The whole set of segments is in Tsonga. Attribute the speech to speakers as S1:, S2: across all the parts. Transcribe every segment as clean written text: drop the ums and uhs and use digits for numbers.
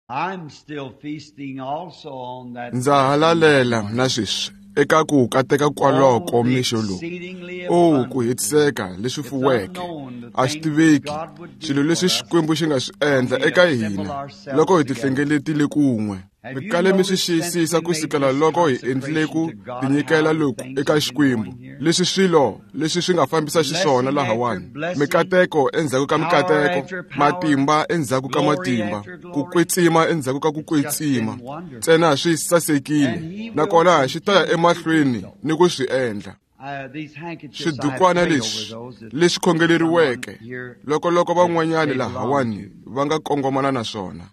S1: I'm still feasting also on that.
S2: Ndza ha lalela na sweswi eka ku kateka kwaloko mixo lowu. O ku hetiseka leswi fuweke a swi tiveki swilo leswi Xikwembu xi nga swi endla eka hina loko hi tihlengeletile kun'we. Mi kale mi swi xiyisisa ku sukela loko hi endlile ku tinyikela loku eka Xikwembu, leswi swilo leswi swi nga fambisa xiswona lahawani. Mikateko endzhaku ka mikateko, matimba endzhaku ka matimba, ku kwetsima endzhaku ka ku kwetsima. Ntsena swi sasekile, nakona xi ta ya emahlweni ni ku swi endla. Swidukwana leswi leswi khongeleriweke loko loko van'wanyani lahawani va nga kongomana na swona.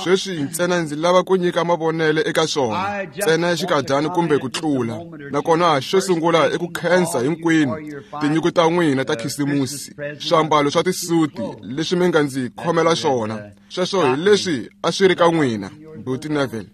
S2: Sweswi ntsena ndzi lava ku nyika mavonelo eka swona ntsena xinkadyana kumbe ku tlula. Nakona xo sungula i ku khensa hinkwenu tinyiko ta n'wina ta Khisimusi, swiambalo swa tisuti leswi mi nga ndzi khomela swona. Sweswo hi leswi a swi ri ka n'wina, Buti Neville.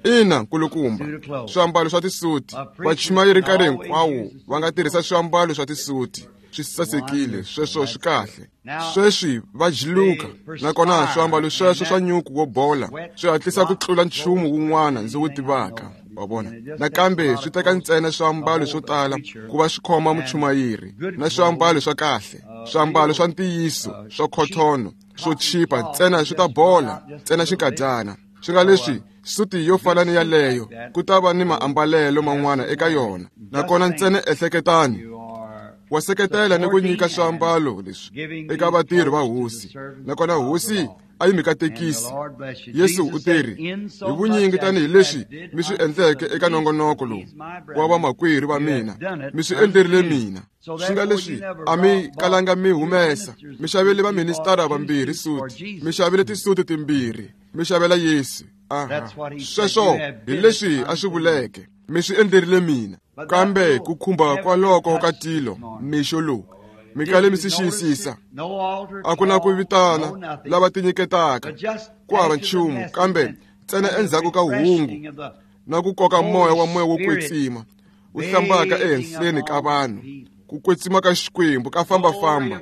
S2: Ina, nkulukumba, swiambalo swa tisuti. Vachumayeri nkarhi hinkwawo va nga tirhisa swiambalo swa tisuti. Swi sasekile, sweswo swi kahle. Sweswi va jiluka, nakona swiambalo sweswo swa nyuku wo bola swi hatlisa ku tlula nchumu wun'wana ndzi wu tivaka. Wa vona? Nakambe swi teka ntsena swiambalo swo tala ku va swi khoma muchumayeri, na swiambalo swa kahle, swiambalo swa ntiyiso swa khothono swo chipa ntsena swi ta bola ntsena xinkadyana. Swi nga leswi suti yo fana ni yaleyo ku ta va ni maambalelo man'wana eka yona. Nakona ntsena ehleketani, wa seketela ni ku nyika swiambalo leswi eka vatirhi va hosi, nakona hosi a yi mi katekisi. Yesu u teri, hi vunyingi tanihileswi mi swi endleke eka nongonoko lowu wa vamakwerhu va mina, mi swi endlerile mina. Swi nga leswi a mi kalanga mi humesa, mi xavele vaministara vambirhi suti, mi xavile tisuti timbirhi, mi xavela Yesu. Aha, sweswo hi leswi a swi vuleke, mi swi endlerile mina. Kambe ku khumba kwaloko ka tilo mixo lowu, mi kale mi swi xiyisisa. A ku na ku vitana lava tinyiketaka, ku hava nchumu, kambe ntsena endzhaku ka hungu na ku koka moya wa moya wo kwetsima wu hlambaka ehenhleni ka vanhu, ku kwetsima ka Xikwembu ka fambafamba,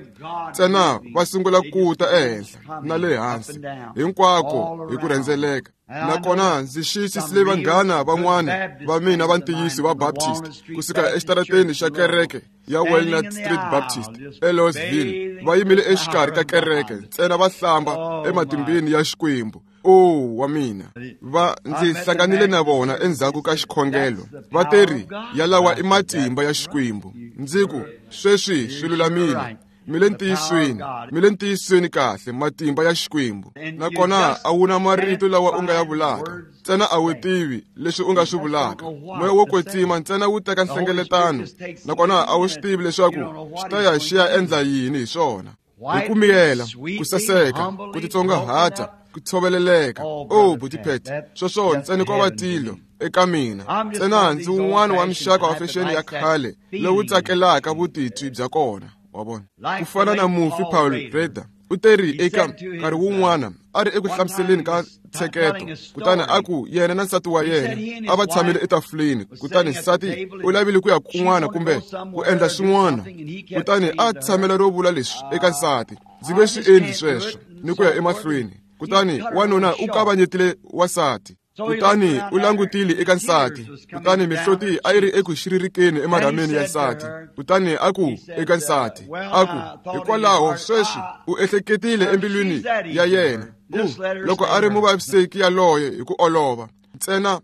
S2: ntsena va sungula ku ta ehenhla na le hansi hinkwako hi ku rhendzeleka. Nakona ndzi xiyisisile vanghana van'wana va mina va ntiyiso va Baptist kusuka exitarateni xa kereke ya Walnut Street Baptist eLouisville, va yimile exikarhi ka kereke ntsena va hlamba ematimbeni ya Xikwembu. O wa mina, va ndzi hlanganile na vona endzhaku ka xikhongelo. Va teri, yalawa i matimba ya Xikwembu. Ndzi ku, sweswi swi lulamile. Mi le ntiyisweni, mi le ntiyisweni kahle, matimba ya Xikwembu. Nakona a wu na marito lawa u nga ya vulaka, ntsena a wu tivi leswi u nga swi vulaka. Moya wo kwetsima ntsena wu teka nhlengeletano, nakona a wu swi tivi leswaku xi ta ya xi ya endla yini hi swona. Hi ku miyela, ku saseka, ku titsongahata, ku tshoveleleka. O Buti Pat, sweswo ntsena ko va tilo eka mina. Ntsena ndzi wun'wana wa muxaka wa fexeni ya khale lowu tsakelaka vutitwi bya kona. Wa vona? Ku fana na mufi Paul Rader, u teri eka nkarhi wun'wana a ri eku hlamuseleni ka ntsheketo, kutani a ku yena na nsati wa yena a va tshamile etafuleni, kutani nsati u lavile ku ya kun'wana kumbe ku endla swin'wana, kutani a tshamela ro vula leswi eka nsati, ndzi nge swi endli sweswo ni ku ya emahlweni. Kutani wanuna u kavanyetile wansati, kutani u langutile eka nsati, kutani mihloti a yi ri eku xiririkeni emarhameni ya nsati. Kutani a ku eka nsati, a ku, hikwalaho sweswi u ehleketile embilwini ya yena, u loko a ri muvaviseki yaloye hi ku olova, ntsena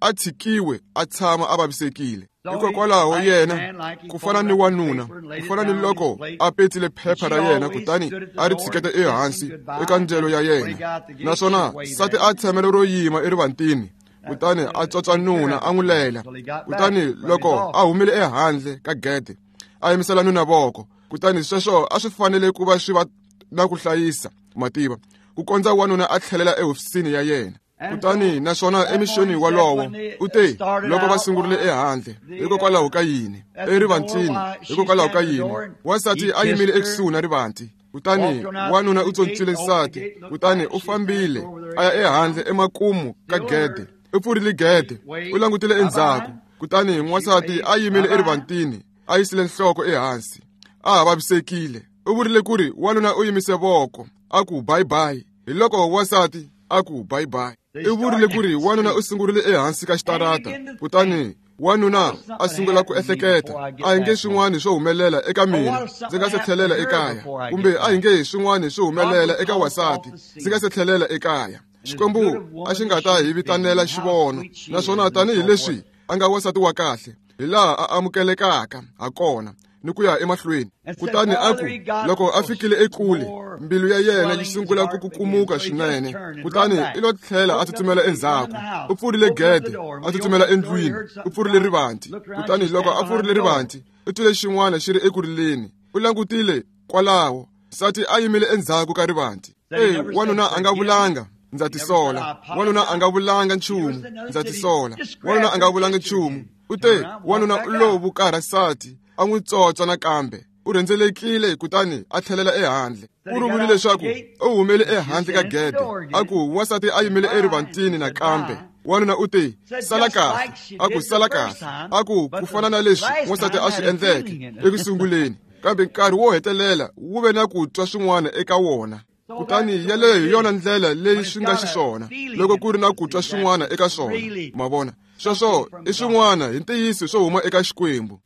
S2: a tshikiwe a tshama a vavisekile. Hikokwalaho yena, ku fana ni wanuna, ku fana ni loko a petsile phepha ra yena kutani a ri tshiketa ehansi eka ndyelo ya yena, naswona nsati a tshamela ro yima erivantini, kutani a tswatswa nuna a n'wi lela. Kutani loko a humile ehandle ka gede, a yimisela nuna voko, kutani sweswo a swi fanele ku va swi va na ku hlayisa mativa ku kondza wanuna a tlhelela ehofisini ya yena. Kutani naswona emixweni walowo u te, loko va sungurile ehandle, hikokwalaho ka yini? Erivantini, hikokwalaho ka yini? Wansati a yimile ekusuhi na rivanti, kutani wanuna u tsontswile nsati, kutani u fambile a ya ehandle emakumu ka gede. U pfurile gede, u langutile endzhaku, kutani n'wansati a yimile erivantini, a yisile nhloko ehansi, a ha vavisekile. U vurile ku ri wanuna u yimise voko, a ku bye bye. Hi loko wansati A ku bye bye. I vurile ku ri wanuna u sungurile ehansi ka xitarata, kutani wanuna a sungula ku ehleketa, a hi nge swin'wana swo humelela eka mina ndzi nga se tlhelela ekaya, kumbe a hi nge swin'wana swo humelela eka wasati ndzi nga se tlhelela ekaya. Xikwembu a xi nga ta hi vitanela xivono, naswona tanihileswi a nga wasati wa kahle hi laha a amukelekaka ha kona ni ku ya emahlweni. Kutani a ku loko a fikile ekule, mbilu ya yena yi sungula ku kukumuka swinene, kutani i lo tlhela a tsutsumela endzhaku. U pfurile gede, a tsutsumela endlwini, u pfurile rivanti. Kutani loko a pfurile rivanti, u twile xin'wana xi ri eku rileni. U langutile kwalaho, nsati a yimile endzhaku ka rivanti. Ey, wanuna a nga vulanga, ndza tisola. Wanuna a nga vulanga nchumu, ndza tisola. Wanuna a nga vulanga nchumu. U te, wanuna u lo vukarha nsati, a n'wi tsotsa nakambe. U rhendzelekile kutani a tlhelela ehandle. U ri vule leswaku u humele ehandle ka gede, a ku wansati a yimile erivantini nakambe. Wanuna u te, sala kahle. A ku sala kahle. A ku ku fana na leswi wansati a swi endleke eku sunguleni, kambe nkarhi wo hetelela wu ve na ku twa swin'wana eka wona. Kutani yeleyo hi yona ndlela leyi swi nga xiswona loko ku ri na ku twa swin'wana eka swona. Ma vona, sweswo i swin'wana hi ntiyiso swo huma eka Xikwembu.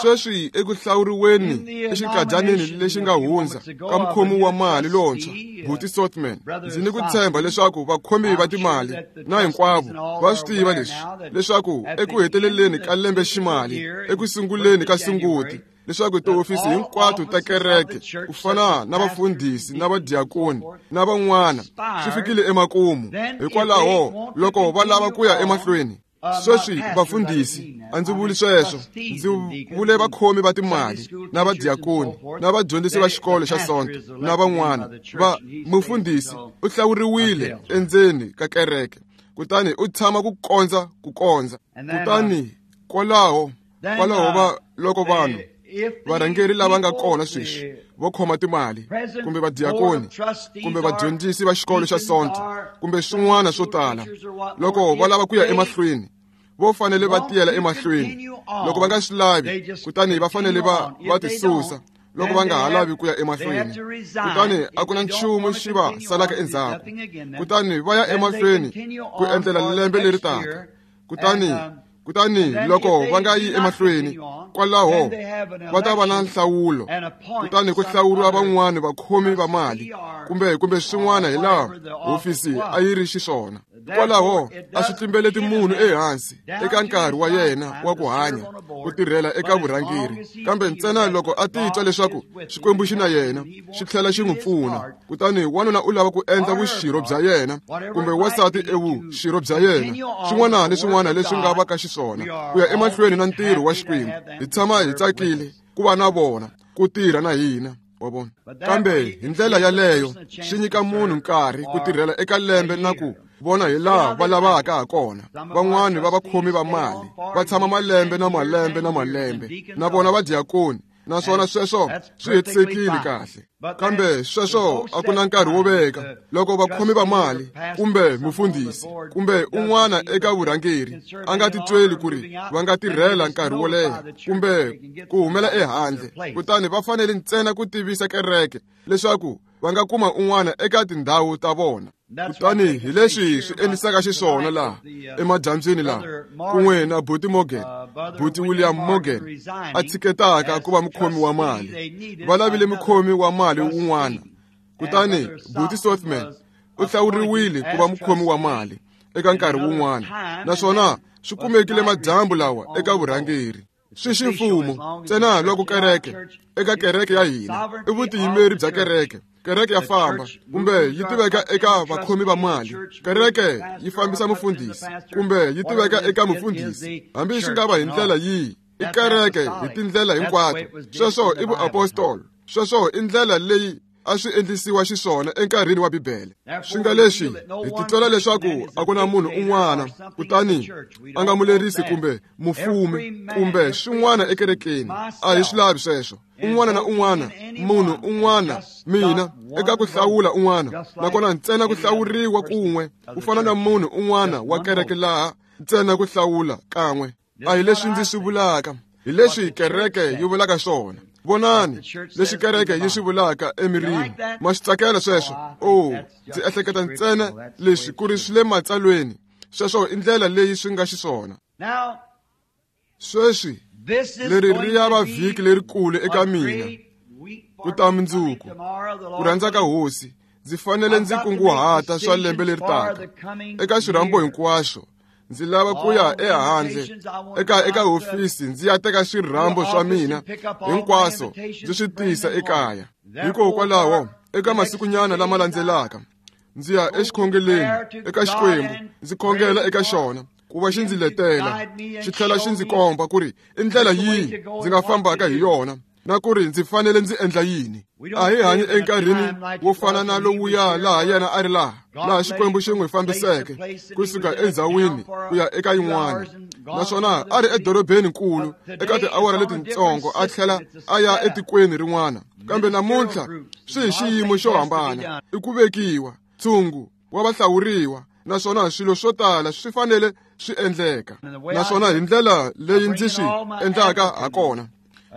S2: Sweswi eku hlawuriweni exinkadaneni lexi nga hundza ka mukhomi wa mali lontshwa, Buti Sothman, ndzi ni ku tshemba leswaku vakhomi va timali na hinkwavo va swi tiva leswi, leswaku eku heteleleni ka lembe ximali, eku sunguleni ka Sunguti, leswaku tihofisi hinkwato ta kereke ku fana na vafundhisi na vadiakoni na van'wana swi fikile emakumu. Hikwalaho loko va lava ku ya emahlweni, sweswi vafundhisi, a ndzi vuli sweswo, ndzi vule vakhomi va timali na vadiakoni na vadyondzisi va xikolo xa Sonto na van'wana. Va mufundhisi u hlawuriwile endzeni ka kereke, kutani u tshama ku kondza ku kondza. Kutani kwalaho va loko vanhu varhangeri lava nga kona sweswi vo khoma timali, kumbe vadiakoni, kumbe vadyondzisi va xikolo xa Sonto, kumbe swin'wana swo tala, loko va lava ku ya emahlweni, vo fanele va tiyela emahlweni. Loko va nga swi lavi, kutani va fanele va tisusa loko va nga ha lavi ku ya emahlweni. Kutani a ku na nchumu xi va salaka endzhaku, kutani va ya emahlweni ku endlela lembe leri taka. Kutani loko va nga yi emahlweni, kwalaho va ta va na nhlawulo, kutani ku hlawuriwa van'wana vakhomi va mali kumbe swin'wana hi laha hofisi a yi ri xiswona. Kwalaho a swi tlimbeleti munhu ehansi eka nkarhi wa yena wa ku hanya ku tirhela eka vurhangeri, kambe ntsena loko a titwa leswaku Xikwembu xi na yena, xi tlhela xi n'wi pfuna. Kutani wanuna u lava ku endla vuxirho bya yena, kumbe wansati evuxirho bya yena, swin'wana ni swin'wana leswi nga va ka xiswona, ku ya emahlweni na ntirho wa Xikwembu. Hi tshama hi tsakile ku va na vona, ku tirha na hina. Wa vona? Kambe hi ndlela yaleyo swi nyika munhu nkarhi ku tirhela eka lembe na ku vona hi laha va lavaka ha kona. Van'wani va vakhomi va mali va tshama malembe na malembe na malembe, na vona vadiakoni, naswona sweswo swi hetisekile kahle. Kambe sweswo a ku na nkarhi wo veka loko vakhomi va mali kumbe mufundhisi kumbe un'wana eka vurhangeri a nga titweli ku ri va nga tirhela nkarhi wo leha kumbe ku humela ehandle, kutani va fanele ntsena ku tivisa kereke leswaku va nga kuma un'wana eka tindhawu ta vona. Kutani hi leswi swi endlisaka xiswona laha emadyambyini laha, kun'we na Buti Morgan, Buti William Morgan a tshiketaka ku va mukhomi wa mali. Va lavile mukhomi wa mali wun'wana, kutani Buti Sothman u hlawuriwile ku va mukhomi wa mali eka nkarhi wun'wana, naswona swi kumekile madyambu lawa eka vurhangeri. Swi ximfumo ntsena loko kereke eka kereke ya hina i vutiyimeri bya kereke. Kereke ya famba kumbe yi tiveka eka vakhomi va mali, kereke yi fambisa mufundhisi kumbe yi tiveka eka mufundhisi, hambi swi nga va hi ndlela yihi, i kereke hi tindlela hinkwato. Sweswo i vuapostolo, sweswo i ndlela leyi a swi endlisiwa xiswona enkarhini wa Bibele. Swi nga leswi hi titwela leswaku a ku na munhu un'wana kutani a nga mulerisi kumbe mufumi kumbe swin'wana ekerekeni. A hi swi lavi sweswo. Un'wana na un'wana, munhu un'wana, mina eka ku hlawula un'wana, nakona ntsena ku hlawuriwa kun'we, ku fana na munhu un'wana wa kereke laha ntsena ku hlawula kan'we. A hi leswi ndzi swi vulaka, hi leswi kereke yi vulaka swona. Vonani leswi kereke yi swi vulaka emirini. Ma swi tsakela sweswo? O, ndzi ehleketa ntsena leswi ku ri swi le matsalweni. Sweswo i ndlela leyi swi nga xiswona. Sweswi leri ri ya va vhiki lerikulu eka mina. Ku ta mundzuku, ku rhandza ka Hosi, ndzi fanele ndzi kunguhata swa lembe leri taka. Eka swirhambo hinkwaswo, ndzi lava ku ya ehandle eka hofisi ndzi ya teka swirhambo swa mina hinkwaswo ndzi swi tisa ekaya. Hikokwalaho, eka masikunyana lama landzelaka, ndzi ya exikhongeleni eka Xikwembu, ndzi khongela eka xona ku va xi ndzi letela, xi tlhela xi ndzi komba ku ri i ndlela yihi ndzi nga fambaka hi yona, na ku ri ndzi fanele ndzi endla yini. A hi hanyi enkarhini wo fana na lowuya laha yena a ri laha Xikwembu xi n'wi fambiseke kusuka endzhawini ku ya eka yin'wana, naswona a ri edorobeni nkulu eka tiawara letintsongo a tlhela a ya etikweni rin'wana. Kambe namuntlha swi hi xiyimo xo hambana, i ku vekiwa ntshungu wa vahlawuriwa, naswona swilo swo tala swi fanele swi endleka. Naswona hi ndlela leyi ndzi swi endlaka ha kona,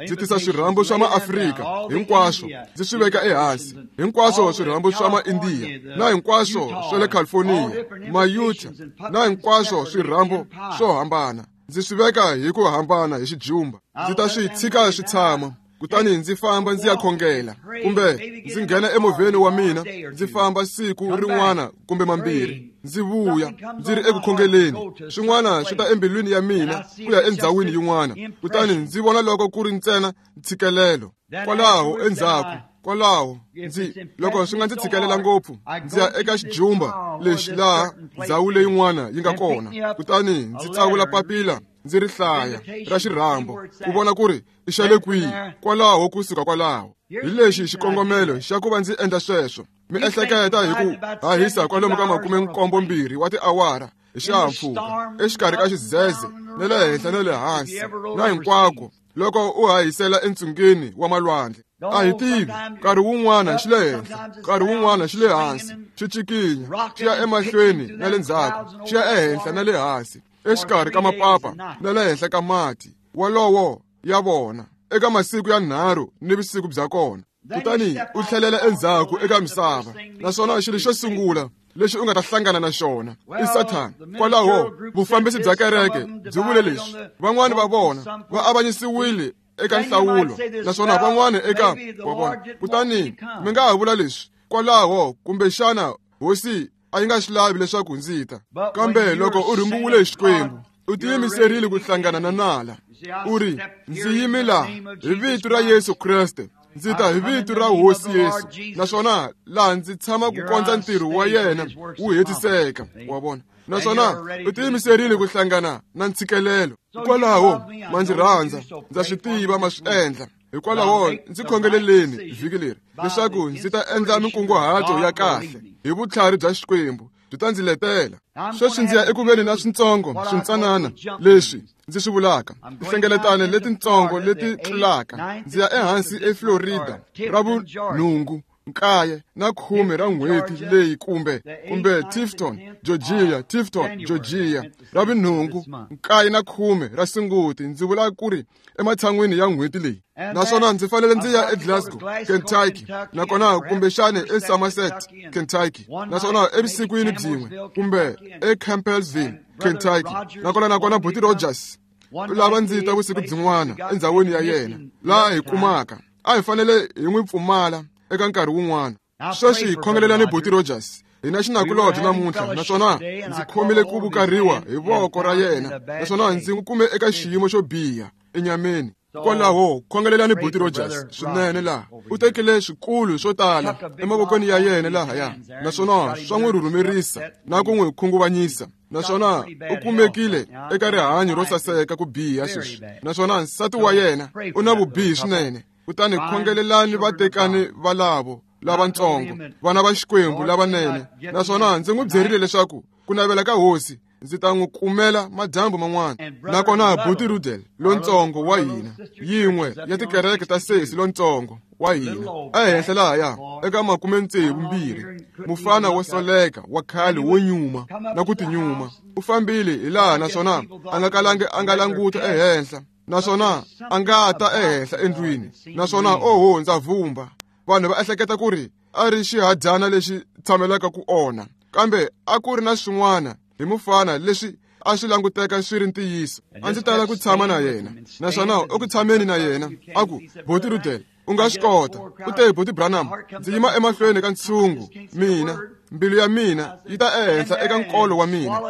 S2: ndzi tisa swirhambo swa maAfrika hinkwaswo ndzi swi veka ehansi, hinkwaswo swirhambo swa maIndiya na hinkwaswo swa le California, maUtah na hinkwaswo swirhambo swo hambana, ndzi swi veka hi ku hambana hi xijumba. Ndzi ta swi tshika swi tshama, kutani ndzi famba ndzi ya khongela, kumbe ndzi nghena emovheni wa mina ndzi famba siku rin'wana kumbe mambirhi, ndzi vuya ndzi ri eku khongeleni. Swin'wana swi ta embilwini ya mina ku ya endzhawini yin'wana, kutani ndzi vona loko ku ri ntsena ntshikelelo. Kwalaho endzhaku, kwalaho ndzi loko swi nga ndzi tshikelela ngopfu, ndzi ya eka xijumba lexi laha ndzhawu leyin'wana yi nga kona, kutani ndzi tsavula papila ndzi ri hlaya ra xirhambo ku vona ku ri i xa le kwihi. Kwalaho kusuka kwalaho, hi lexi xikongomelo xa ku va ndzi endla sweswo. Mi ehleketa hi ku hahisa kwalomu ka 72 wa tiawara hi xihahampfhuka exikarhi ka xidzedze na le henhla na le hansi na hinkwako loko u hahisela entsungeni wa malwandle. A hi tivi, nkarhi wun'wana xi le henhla, nkarhi wun'wana xi le hansi, xi cikinya xi ya emahlweni na le ndzhaku, xi ya ehenhla na le hansi, exikarhi ka mapapa na le henhla ka mati walowo ya vona eka masiku ya 3 ni vusiku bya kona. Kutani u tlhelela endzhaku eka misava, naswona xilo xo sungula lexi u nga ta hlangana na xona i Sathana. Kwalaho vufambisi bya kereke byi vule leswi, van'wani va vona va avanyisiwile eka nhlawulo, naswona van'wani eka wa vona. Kutani mi nga ha vula leswi, kwalaho kumbexana Hosi a yi nga swi lavi leswaku ndzi ta. Kambe loko u rhumbiwile hi Xikwembu, u tiyimiserile ku hlangana na nala. U ri, ndzi yimi laha hi vito ra Yesu Kreste, ndzi ta hi vito ra Hosi Yesu, naswona laha ndzi tshama ku kondza ntirho wa yena wu hetiseka. Wa vona? Naswona u tiyimiserile ku hlangana na ntshikelelo. Hikwalaho ma ndzi rhandza, ndza swi tiva ma swi endla. Hikwalaho ndzi khongeleleni vhiki leri leswaku ndzi ta endla minkunguhato ya kahle hi vutlhari bya Xikwembu byi ta ndzi letela. Sweswi ndzi ya eku veni na swintsongo swintsanana leswi ndzi swi vulaka, tinhlengeletano letintsongo leti tlulaka. Ndzi ya ehansi eFlorida ra vunhungu, 9 na 10 ra n'hweti leyi, kumbe Tifton, Georgia, Tifton, Georgia, ra vunhungu, 9 na 10 ra Sunguti, ndzi vula ku ri ematshan'wini ya n'hweti leyi. Naswona ndzi fanele ndzi ya eGlasgow, Kentucky, nakona kumbexani eSomerset, Kentucky, naswona evusikwini byin'we, kumbe eCampbellsville, Kentucky, nakona Buti Rogers u lava ndzi ta vusiku byin'wana endzhawini ya yena laha hi kumaka. A hi fanele hi n'wi pfumala eka nkarhi wun'wana. Sweswi hi khongelelani Buti Rogers. Hina xinakulobye namuntlha, naswona ndzi khomile ku vukariwa hi voko ra yena, naswona ndzi n'wi kume eka xiyimo xo biha enyameni. Kwalaho khongelelani Buti Rogers swinene laha. U tekile swikulu swo tala emavokweni ya yena lahaya, naswona swa n'wi rhurhumerisa na ku n'wi khunguvanyisa. Naswona u kumekile eka rihanyo ro saseka ku biha sweswi, naswona nsati wa yena u na vubihi swinene. Kutani khongelelani vatekani valavo lavatsongo, vana va Xikwembu lavanene. Naswona ndzi n'wi byerile leswaku ku navela ka Hosi ndzi ta n'wi kumela madyambu man'wana. Nakona Buti Rudel lontsongo wa hina, yin'we ya tikereke ta sesi lontsongo wa hina ehenhla lahaya eka 62, mufana wo soleka wa khale wo nyuma na ku tinyuma, u fambile hi laha, naswona a nga kalangi a nga languta ehenhla. Naswona a nga ta ehenhla endlwini. Naswona oho ndza vumba. Vanhu va ehleketa ku ri a ri xihadyana lexi tshamelaka ku onha. Kambe a ku ri na swin'wana hi mufana leswi a swi languteka swi ri ntiyiso. A ndzi tala ku tshama na yena. Naswona eku tshameni na yena a ku, Buti Ruddell, u nga swi kota. U te, Buti Branham, ndzi yima emahlweni ka ntshungu. Mina, mbilu ya mina yi ta ehenhla eka nkolo wa mina.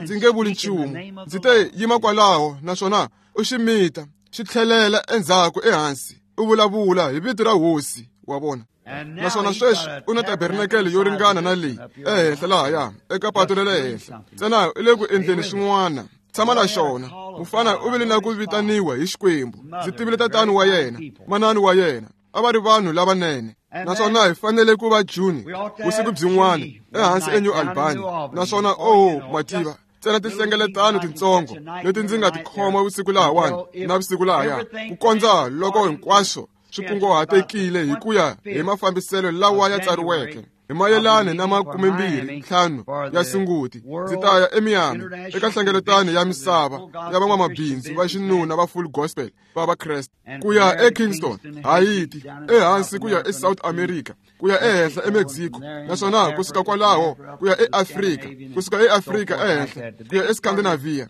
S2: Ndzi nge vuli nchumu. Ndzi te yima kwalaho naswona u xi mita, xi tlhelela endzhaku ehansi. U vulavula hi vito ra Hosi, wa vona. Naswona sweswi u na tabernakele yo ringana na leyi ehenhla lahaya eka pato ra le henhla. Ntsena u le ku endleni swin'wana. Tshama na xona. Mufana u vile na ku vitaniwa hi Xikwembu. Ndzi tivile tatani wa yena, manani wa yena. A va ri vanhu lavanene. Naswona hi fanele ku va June vusiku byin'wana ehansi eNew Albany. Naswona oh mativa, ntsena tinhlengeletano tintsongo leti ndzi nga ti khoma vusiku lahawani na vusiku lahaya, ku kondza loko hinkwaswo swi kunguhatekile hi ku ya hi mafambiselo lawa ya tsariweke. Hi mayelana na 25 ya Sunguti, ndzi ta ya eMiami eka nhlengeletano ya misava ya van'wamabindzu va xinuna va Full Gospel va Vakreste, ku ya eKingston, Haiti, ehansi ku ya eSouth America, ku ya ehenhla eMexico, naswona kusuka kwalaho ku ya eAfrika, kusuka eAfrika ehenhla ku ya eScandinavia,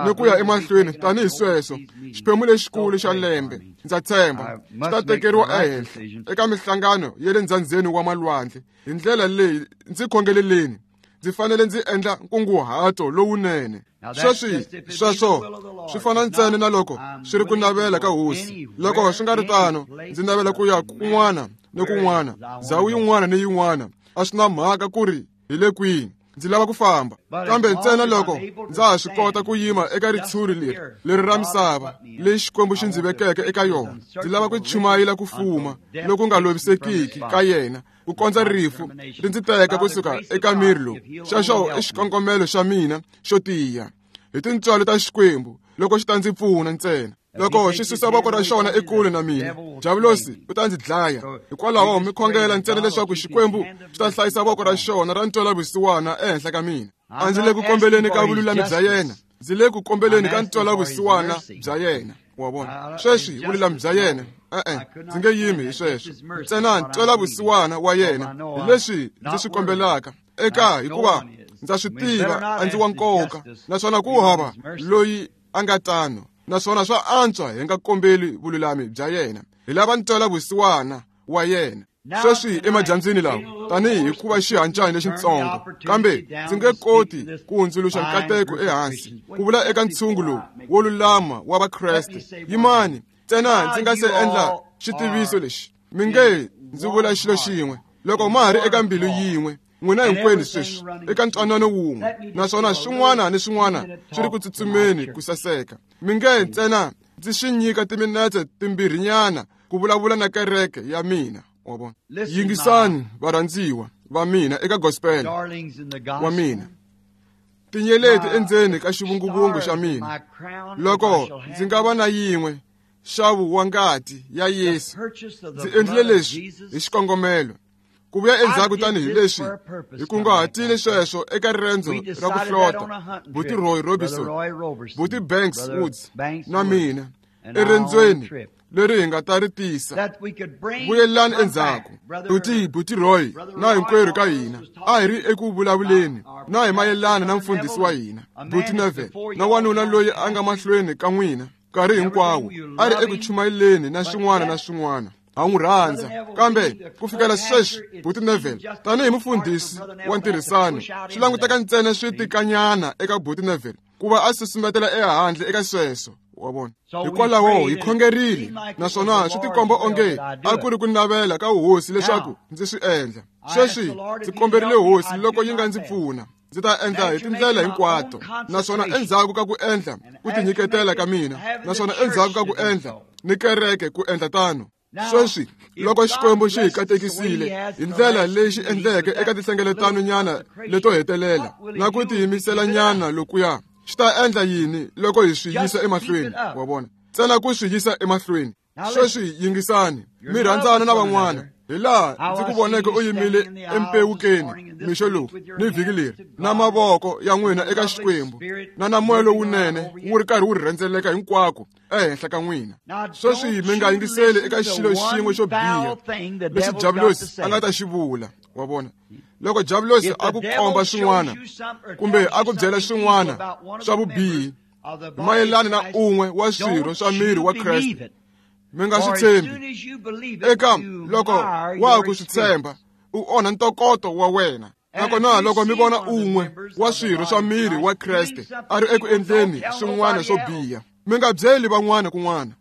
S2: ni ku ya emahlweni tanihi sweswo. Xiphemu lexikulu xa lembe, ndza tshemba, xi ta tekeriwa ehenhla eka mihlangano ya le ndzhandzeni wa malwandle. Hi ndlela leyi ndzi khongeleleni, ndzi fanele ndzi endla nkunguhato lowunene. Sweswi sweswo swi fana ntsena na loko swi ri ku navela ka Hosi. Loko swi nga ri tano, ndzi navela ku ya kun'wana ni kun'wana, ndhawu yin'wana ni yin'wana. A swi na mhaka ku ri hi le kwihi, ndzi lava ku famba. Kambe ntsena loko ndza ha swi kota ku yima eka ritshuri leri, leri ra misava leyi Xikwembu xi ndzi vekeke eka yona, ndzi lava ku chumayela ku fuma loku nga lovisekiki ka yena, ku kondza rifu ri ndzi teka kusuka eka miri lowu. Xexo i xikongomelo xa mina xo tiya. Hi tintswalo ta Xikwembu, loko xi ta ndzi pfuna ntsena. Loko xi susa voko ra xona ekule na mina, diavulosi u ta ndzi dlaya. Hikwalaho mi khongela ntsena leswaku Xikwembu xi ta hlayisa voko ra xona ra ntwelavusiwana ehenhla ka mina. A ndzi le ku kombeleni ka vululami bya yena, ndzi le ku kombeleni ka ntwelavusiwana bya yena. Wa vona? Sweswi vululami bya yena, e-e, ndzi nge yimi hi sweswo. Ntsena ntwelavusiwana wa yena hi leswi ndzi swi kombelaka eka, hikuva ndza swi tiva a ndzi wa nkoka, naswona ku hava loyi a nga tano. Naswona swa antswa hi nga kombeli vululami bya yena, hi lava ntwelavusiwana wa yena. Sweswi emadyambyini lawa, tanihi hikuva xihancani lexitsongo, kambe ndzi nge koti ku hundzuluxa nkateko ehansi ku vula eka ntshungu lowu wo lulama wa Vakreste. Yimani ntsena ndzi nga se endla xitiviso lexi. Mi nge ndzi vula xilo xin'we. Loko ma ha ri eka mbilu yin'we, n'wina hinkwenu sweswi eka ntwanano wun'we, naswona swin'wana ni swin'wana swi ri ku tsutsumeni ku saseka. Mi nge ntsena ndzi swi nyika timinetse timbirhinyana ku vulavula na kereke ya mina. Wa vona? Yingisani varhandziwa va mina eka gospel wa mina. Tinyeleti endzeni ka xivunguvungu xa mina, loko ndzi nga va na yin'we, nxavo wa ngati ya Yesu, ndzi endlile leswi hi xikongomelo. Ku vuya endzhaku tanihileswi hi kunguhatile sweswo eka riendzo ra ku hlota, Buti Roy Robinson, Buti Banks Woods na mina, eriendzweni leri hi nga ta ri tisa. Vuyelani endzhaku. Buti Roy na hinkwerhu ka hina a hi ri eku vulavuleni na hi mayelana na mfundhisi wa hina, Buti Neville, na wanuna loyi a nga mahlweni ka n'wina nkarhi hinkwawo, a ri eku chumayeleni na swin'wana na swin'wana. Ha n'wi rhandza. Kambe ku fikela sweswi, Buti Neville, tanihi mufundhisi wa ntirhisano, swi languteka ntsena swi tikanyana eka Buti Neville ku va a susumetela ehandle eka sweswo. Wa vona? Hikwalaho hi khongerile, naswona swi tikomba onge a ku ri ku navela ka Hosi leswaku ndzi swi endla. Sweswi ndzi komberile Hosi loko yi nga ndzi pfuna, ndzi ta endla hi tindlela hinkwato. Naswona endzhaku ka ku endla ku tinyiketela ka mina, naswona endzhaku ka ku endla ni kereke ku endla tano. Sweswi loko Xikwembu xi hi katekisile hi ndlela leyi xi endleke eka tinhlengeletano nyana leto hetelela na ku tiyimisela nyana lokuya, xi ta endla yini loko hi swi yisa emahlweni? Wa vona? Ntsena ku swi yisa emahlweni. Sweswi yingisani, mi rhandzana na van'wana. Hi laha ndzi ku voneke u yimile empewukeni mixo lowu ni vhiki leri na mavoko ya n'wina eka Xikwembu na moya lowunene wu ri karhi wu rhendzeleka hinkwako ehenhla ka n'wina. Sweswi mi nga yingiseli eka xilo xin'we xo biha lexi Diabulosi a nga ta xi vula. Wa vona, loko Diabulosi a ku komba swin'wana kumbe a ku byela swin'wana swa vubihi mayelana na un'we wa swirho swa miri wa Kreste, mi nga swi tshembi. Eka loko wa ku swi tshemba, u onha ntokoto wa wena. Nakona loko mi vona un'we wa swirho swa miri wa Kreste a ri eku endleni swin'wana swo biha, mi nga byeli van'wana kun'wana,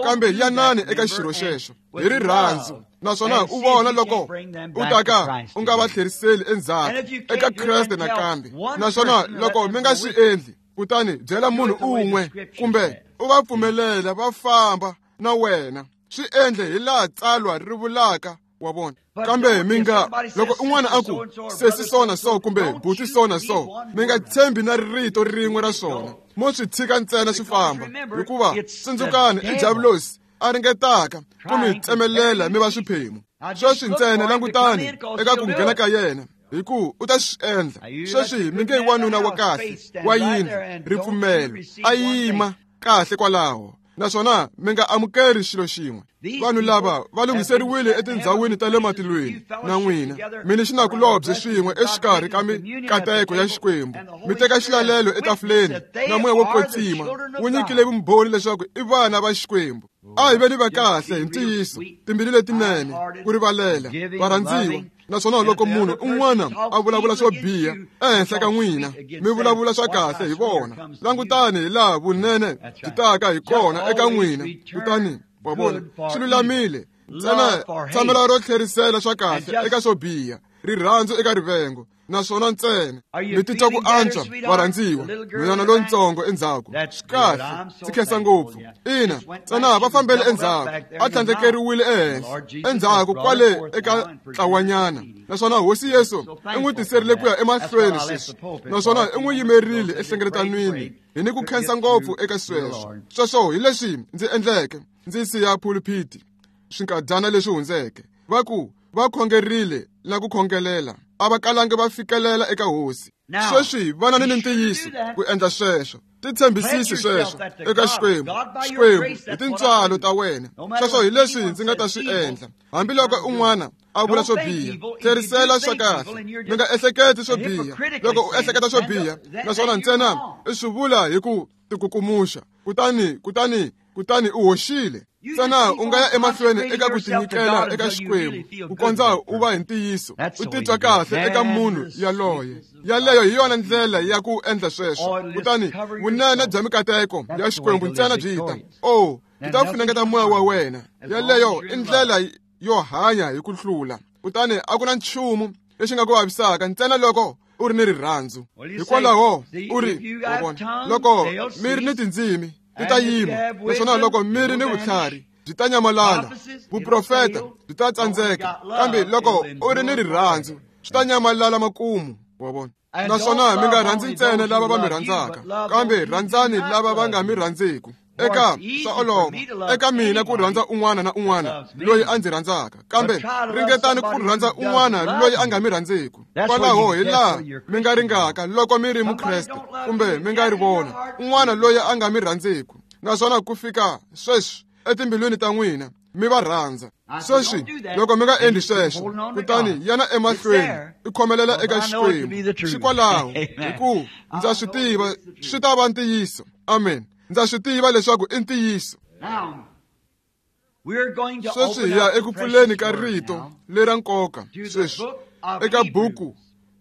S2: kambe yanani eka xirho xexo hi rirhandzu, naswona u vona loko u ta ka u nga va tlheriseli endzhaku eka Kreste nakambe. Naswona loko mi nga swi endli, kutani byela munhu un'we kumbe u va pfumelela va famba na wena. Swi endle hi laha tsalwa ri vulaka. Wa vona, kambe mi nga loko un'wana a ku sesi sona so kumbe buti sona so, mi nga tshembi na rito rin'we ra swona. Mo swi tshika ntsena swi famba, hikuva tsundzukani i Diabulosi a ringetaka ku mi tsemelela mi va swiphemu. Sweswi ntsena langutani eka ku nghena ka yena, hi ku u ta swi endla. Sweswi mi nge wanuna wa kahle wa yindlu ripfumelo a yima kahle kwalaho, naswona mi nga amukeri xilo xin'we. Vanhu lava va lunghiseriwile etindhawini ta le matilweni na n'wina, mi ni xinakulobye swin'we exikarhi ka mikateko ya Xikwembu. Mi teka xilalelo etafuleni na moya wo kwetsima wu nyikile vumbhoni leswaku i vana va Xikwembu. A hi veni va kahle hi ntiyiso, timbilu letinene, ku rivalela, varhandziwa. Naswona loko munhu un'wana a vulavula swo biha ehenhla ka n'wina, mi vulavula swa kahle hi vona. Langutani hi laha vunene byi taka hi kona eka n'wina. Kutani wa vona, swi lulamile. Ntsena tshamela ro tlherisela swa kahle eka swo biha, rirhandzu eka rivengo. Naswona ntsena mi titwa ku antswa, varhandziwa. Nhwanyana lontsongo endzhaku, swi kahle, ndzi khensa ngopfu. Ina, ntsena va fambele endzhaku, a tlhandlekeriwile ehenhla endzhaku kwale eka ntlawanyana. Naswona Hosi Yesu i n'wi tiserile ku ya emahlweni sweswi, naswona i n'wi yimerile ehlengeletanwini. Hi ni ku khensa ngopfu eka sweswo. Sweswo hi leswi ndzi endleke ndzi siya pulpiti swinkadyana leswi hundzeke. Va ku va khongerile na ku khongelela, a va kalangi va fikelela eka Hosi. Sweswi vana ni ntiyiso ku endla sweswo. Titshembisisi sweswo eka Xikwembu. Xikwembu hi tintswalo ta wena. Sweswo hi leswi ndzi nga ta swi endla. Hambiloko un'wana a vula swo biha, tlherisela swa kahle. Mi nga ehleketi swo biha. Loko u ehleketa swo biha, naswona ntsena i swi vula hi ku tikukumuxa, kutani u hoxile. Ntsena u nga ya emahlweni eka ku tinyikela eka Xikwembu ku kondza u va hi ntiyiso, u titwa kahle eka munhu yaloye. Yaleyo hi yona ndlela ya ku endla sweswo. Kutani vunene bya mikateko ya Xikwembu ntsena byi ta. Oh, byi ta funengeta moya wa wena. Yaleyo i ndlela yo hanya hi ku hlula. Kutani a ku na nchumu lexi nga ku vavisaka ntsena loko u ri ni rirhandzu. Hikwalaho u ri, wa vona, loko mi ri ni tindzimi ti ta yima, naswona loko mi ri ni vutlhari byi ta nyamalala, vuprofeta byi ta tsandzeka, kambe loko u ri ni rirhandzu swi ta nyamalala makumu. Wa vona. Naswona mi nga rhandzi ntsena lava va mi rhandzaka, kambe rhandzani lava va nga mi rhandziku. Eka swa olova eka mina ku rhandza un'wana na un'wana loyi a ndzi rhandzaka, kambe ringetani ku rhandza un'wana loyi a nga mi rhandziku. Kwalaho hi laha mi nga ringaka loko mi ri Mukreste kumbe mi nga ri vona un'wana loyi a nga mi rhandziku, naswona ku fika sweswi etimbilwini ta n'wina mi va rhandza. Sweswi loko mi nga endli sweswo, kutani yana emahlweni i khomelela eka Xikwembu. Xikwalaho, hi ku ndza swi tiva swi ta va ntiyiso. Amen. Ndza swi tiva leswaku i ntiyiso. Sweswi hi ya eku pfuleni ka rito lera nkoka sweswi eka buku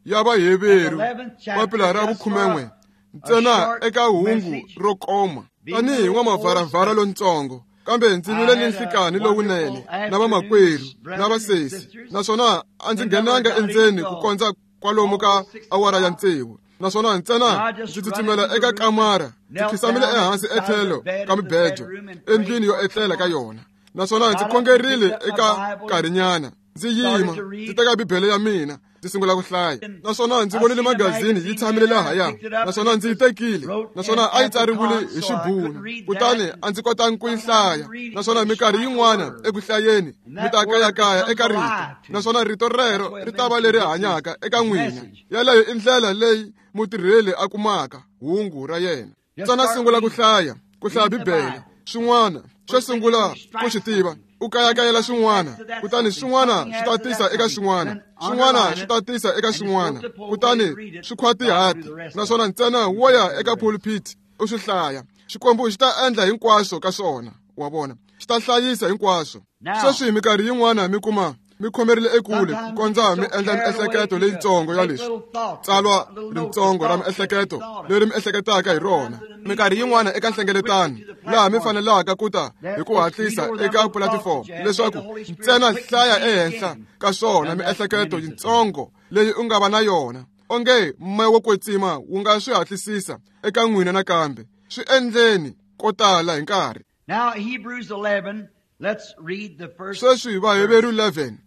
S2: ya Vaheveru, papila ra 11, ntsena eka hungu ro koma. Tanihi n'wamavharavhara lontsongo, kambe ndzi vile ni nhlikani lowunene na vamakwerhu na vasesi, naswona a ndzi nghenanga endzeni ku kondza kwalomu ka awara ya 6. Naswona ntsena ndzi tsutsumela eka kamara, ndzi khisamile ehansi etlhelo ka mibejo endlwini yo etlela ka yona, naswona ndzi khongerile eka nkarhinyana. Ndzi yima, ndzi teka Bibele ya mina, Ndzi sungula ku hlaya, naswona ndzi vonile magazini yi tshamile lahaya, naswona ndzi yi tekile, naswona a yi tsariwile hi xibunu, kutani a ndzi kotangi ku yi hlaya. Naswona minkarhi yin'wana eku hlayeni mi ta kayakaya eka rito, naswona rito rero ri ta va leri hanyaka eka n'wina. Yaleyo i ndlela leyi mutirheli a kumaka hungu ra yena. Ntsena sungula ku hlaya, ku hlaya Bibele, swin'wana xo sungula ku swi tiva, u kayakayela swin'wana, kutani swin'wana swi ta tisa eka swin'wana, swin'wana swi ta tisa eka swin'wana, kutani swi khwatihati, naswona ntsena wo ya eka pulpit u swi hlaya. Xikwembu xi ta endla hinkwaswo ka swona, wa vona, xi ta hlayisa hinkwaswo. Sweswi minkarhi yin'wana mi kuma mi khomerile ekule ku kondza mi endla miehleketo leyitsongo ya leswi, tsalwa ritsongo ra miehleketo leri mi ehleketaka hi rona. Minkarhi yin'wana eka nhlengeletano laha mi fanelaka ku ta hi ku hatlisa eka pulatifomo leswaku ntsena hlaya ehenhla ka swona miehleketo yitsongo leyi u nga va na yona, onge moya wo kwetsima wu nga swi hatlisisa eka n'wina nakambe. Swi endleni ko tala hi nkarhi.
S1: Now Hebrews 11, let's read the first.
S2: Sweswi Vaheveru 11,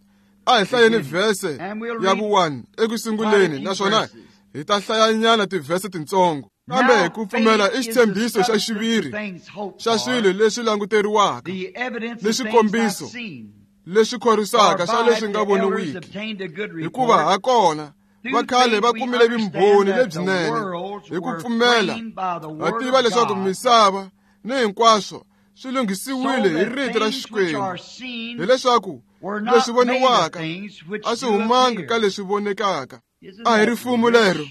S2: a hi hlayeni vhese ya vu-1 eku sunguleni, naswona hi ta hlayanyana tivhese tintsongo. Kambe ku pfumela i xitshembiso xa xiviri xa swilo leswi languteriwaka, ni swikombiso leswi khorwisaka swa leswi nga voniwiki. Hikuva ha kona va khale va kumile vumbhoni lebyinene hi ku pfumela, va tiva leswaku misava ni hinkwaswo swi lunghisiwile hi rito ra Xikwembu, hileswaku leswi voniwaka a swi humangi ka leswi vonekaka. A hi rifumo lero.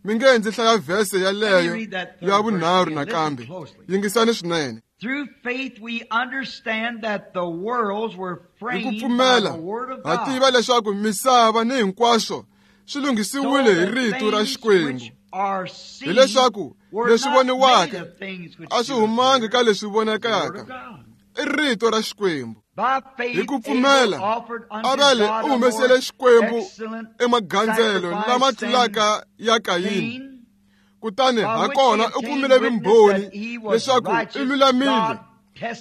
S2: Mi nge ndzi hlaya vhese yaleyo ya vunharhu nakambe. Yingisani swinene.
S1: Through faith we understand that the worlds were
S2: Hi ku
S1: framed by
S2: pfumela
S1: the word of
S2: ha
S1: God.
S2: tiva leswaku misava ni hinkwaswo swi
S1: So
S2: lunghisiwile hi
S1: that
S2: rito ra
S1: things
S2: Xikwembu,
S1: which are seen
S2: hileswaku
S1: were
S2: leswi
S1: not made
S2: voniwaka
S1: of things which
S2: a swi
S1: do
S2: humangi
S1: appear.
S2: ka leswi
S1: The word of
S2: vonekaka.
S1: God.
S2: I rito ra Xikwembu.
S1: By faith
S2: Hi ku pfumela,
S1: Abel offered unto
S2: Avele
S1: God
S2: u
S1: a
S2: humesele
S1: more
S2: Xikwembu
S1: excellent
S2: emagandzelo
S1: sacrifice
S2: lama
S1: than
S2: tlulaka ya Kayini.
S1: Cain,
S2: Kutani
S1: by
S2: ha
S1: which
S2: kona
S1: he
S2: u
S1: obtained
S2: kumile
S1: witness
S2: vumbhoni
S1: that he was
S2: leswaku i
S1: righteous,
S2: lulamile.
S1: God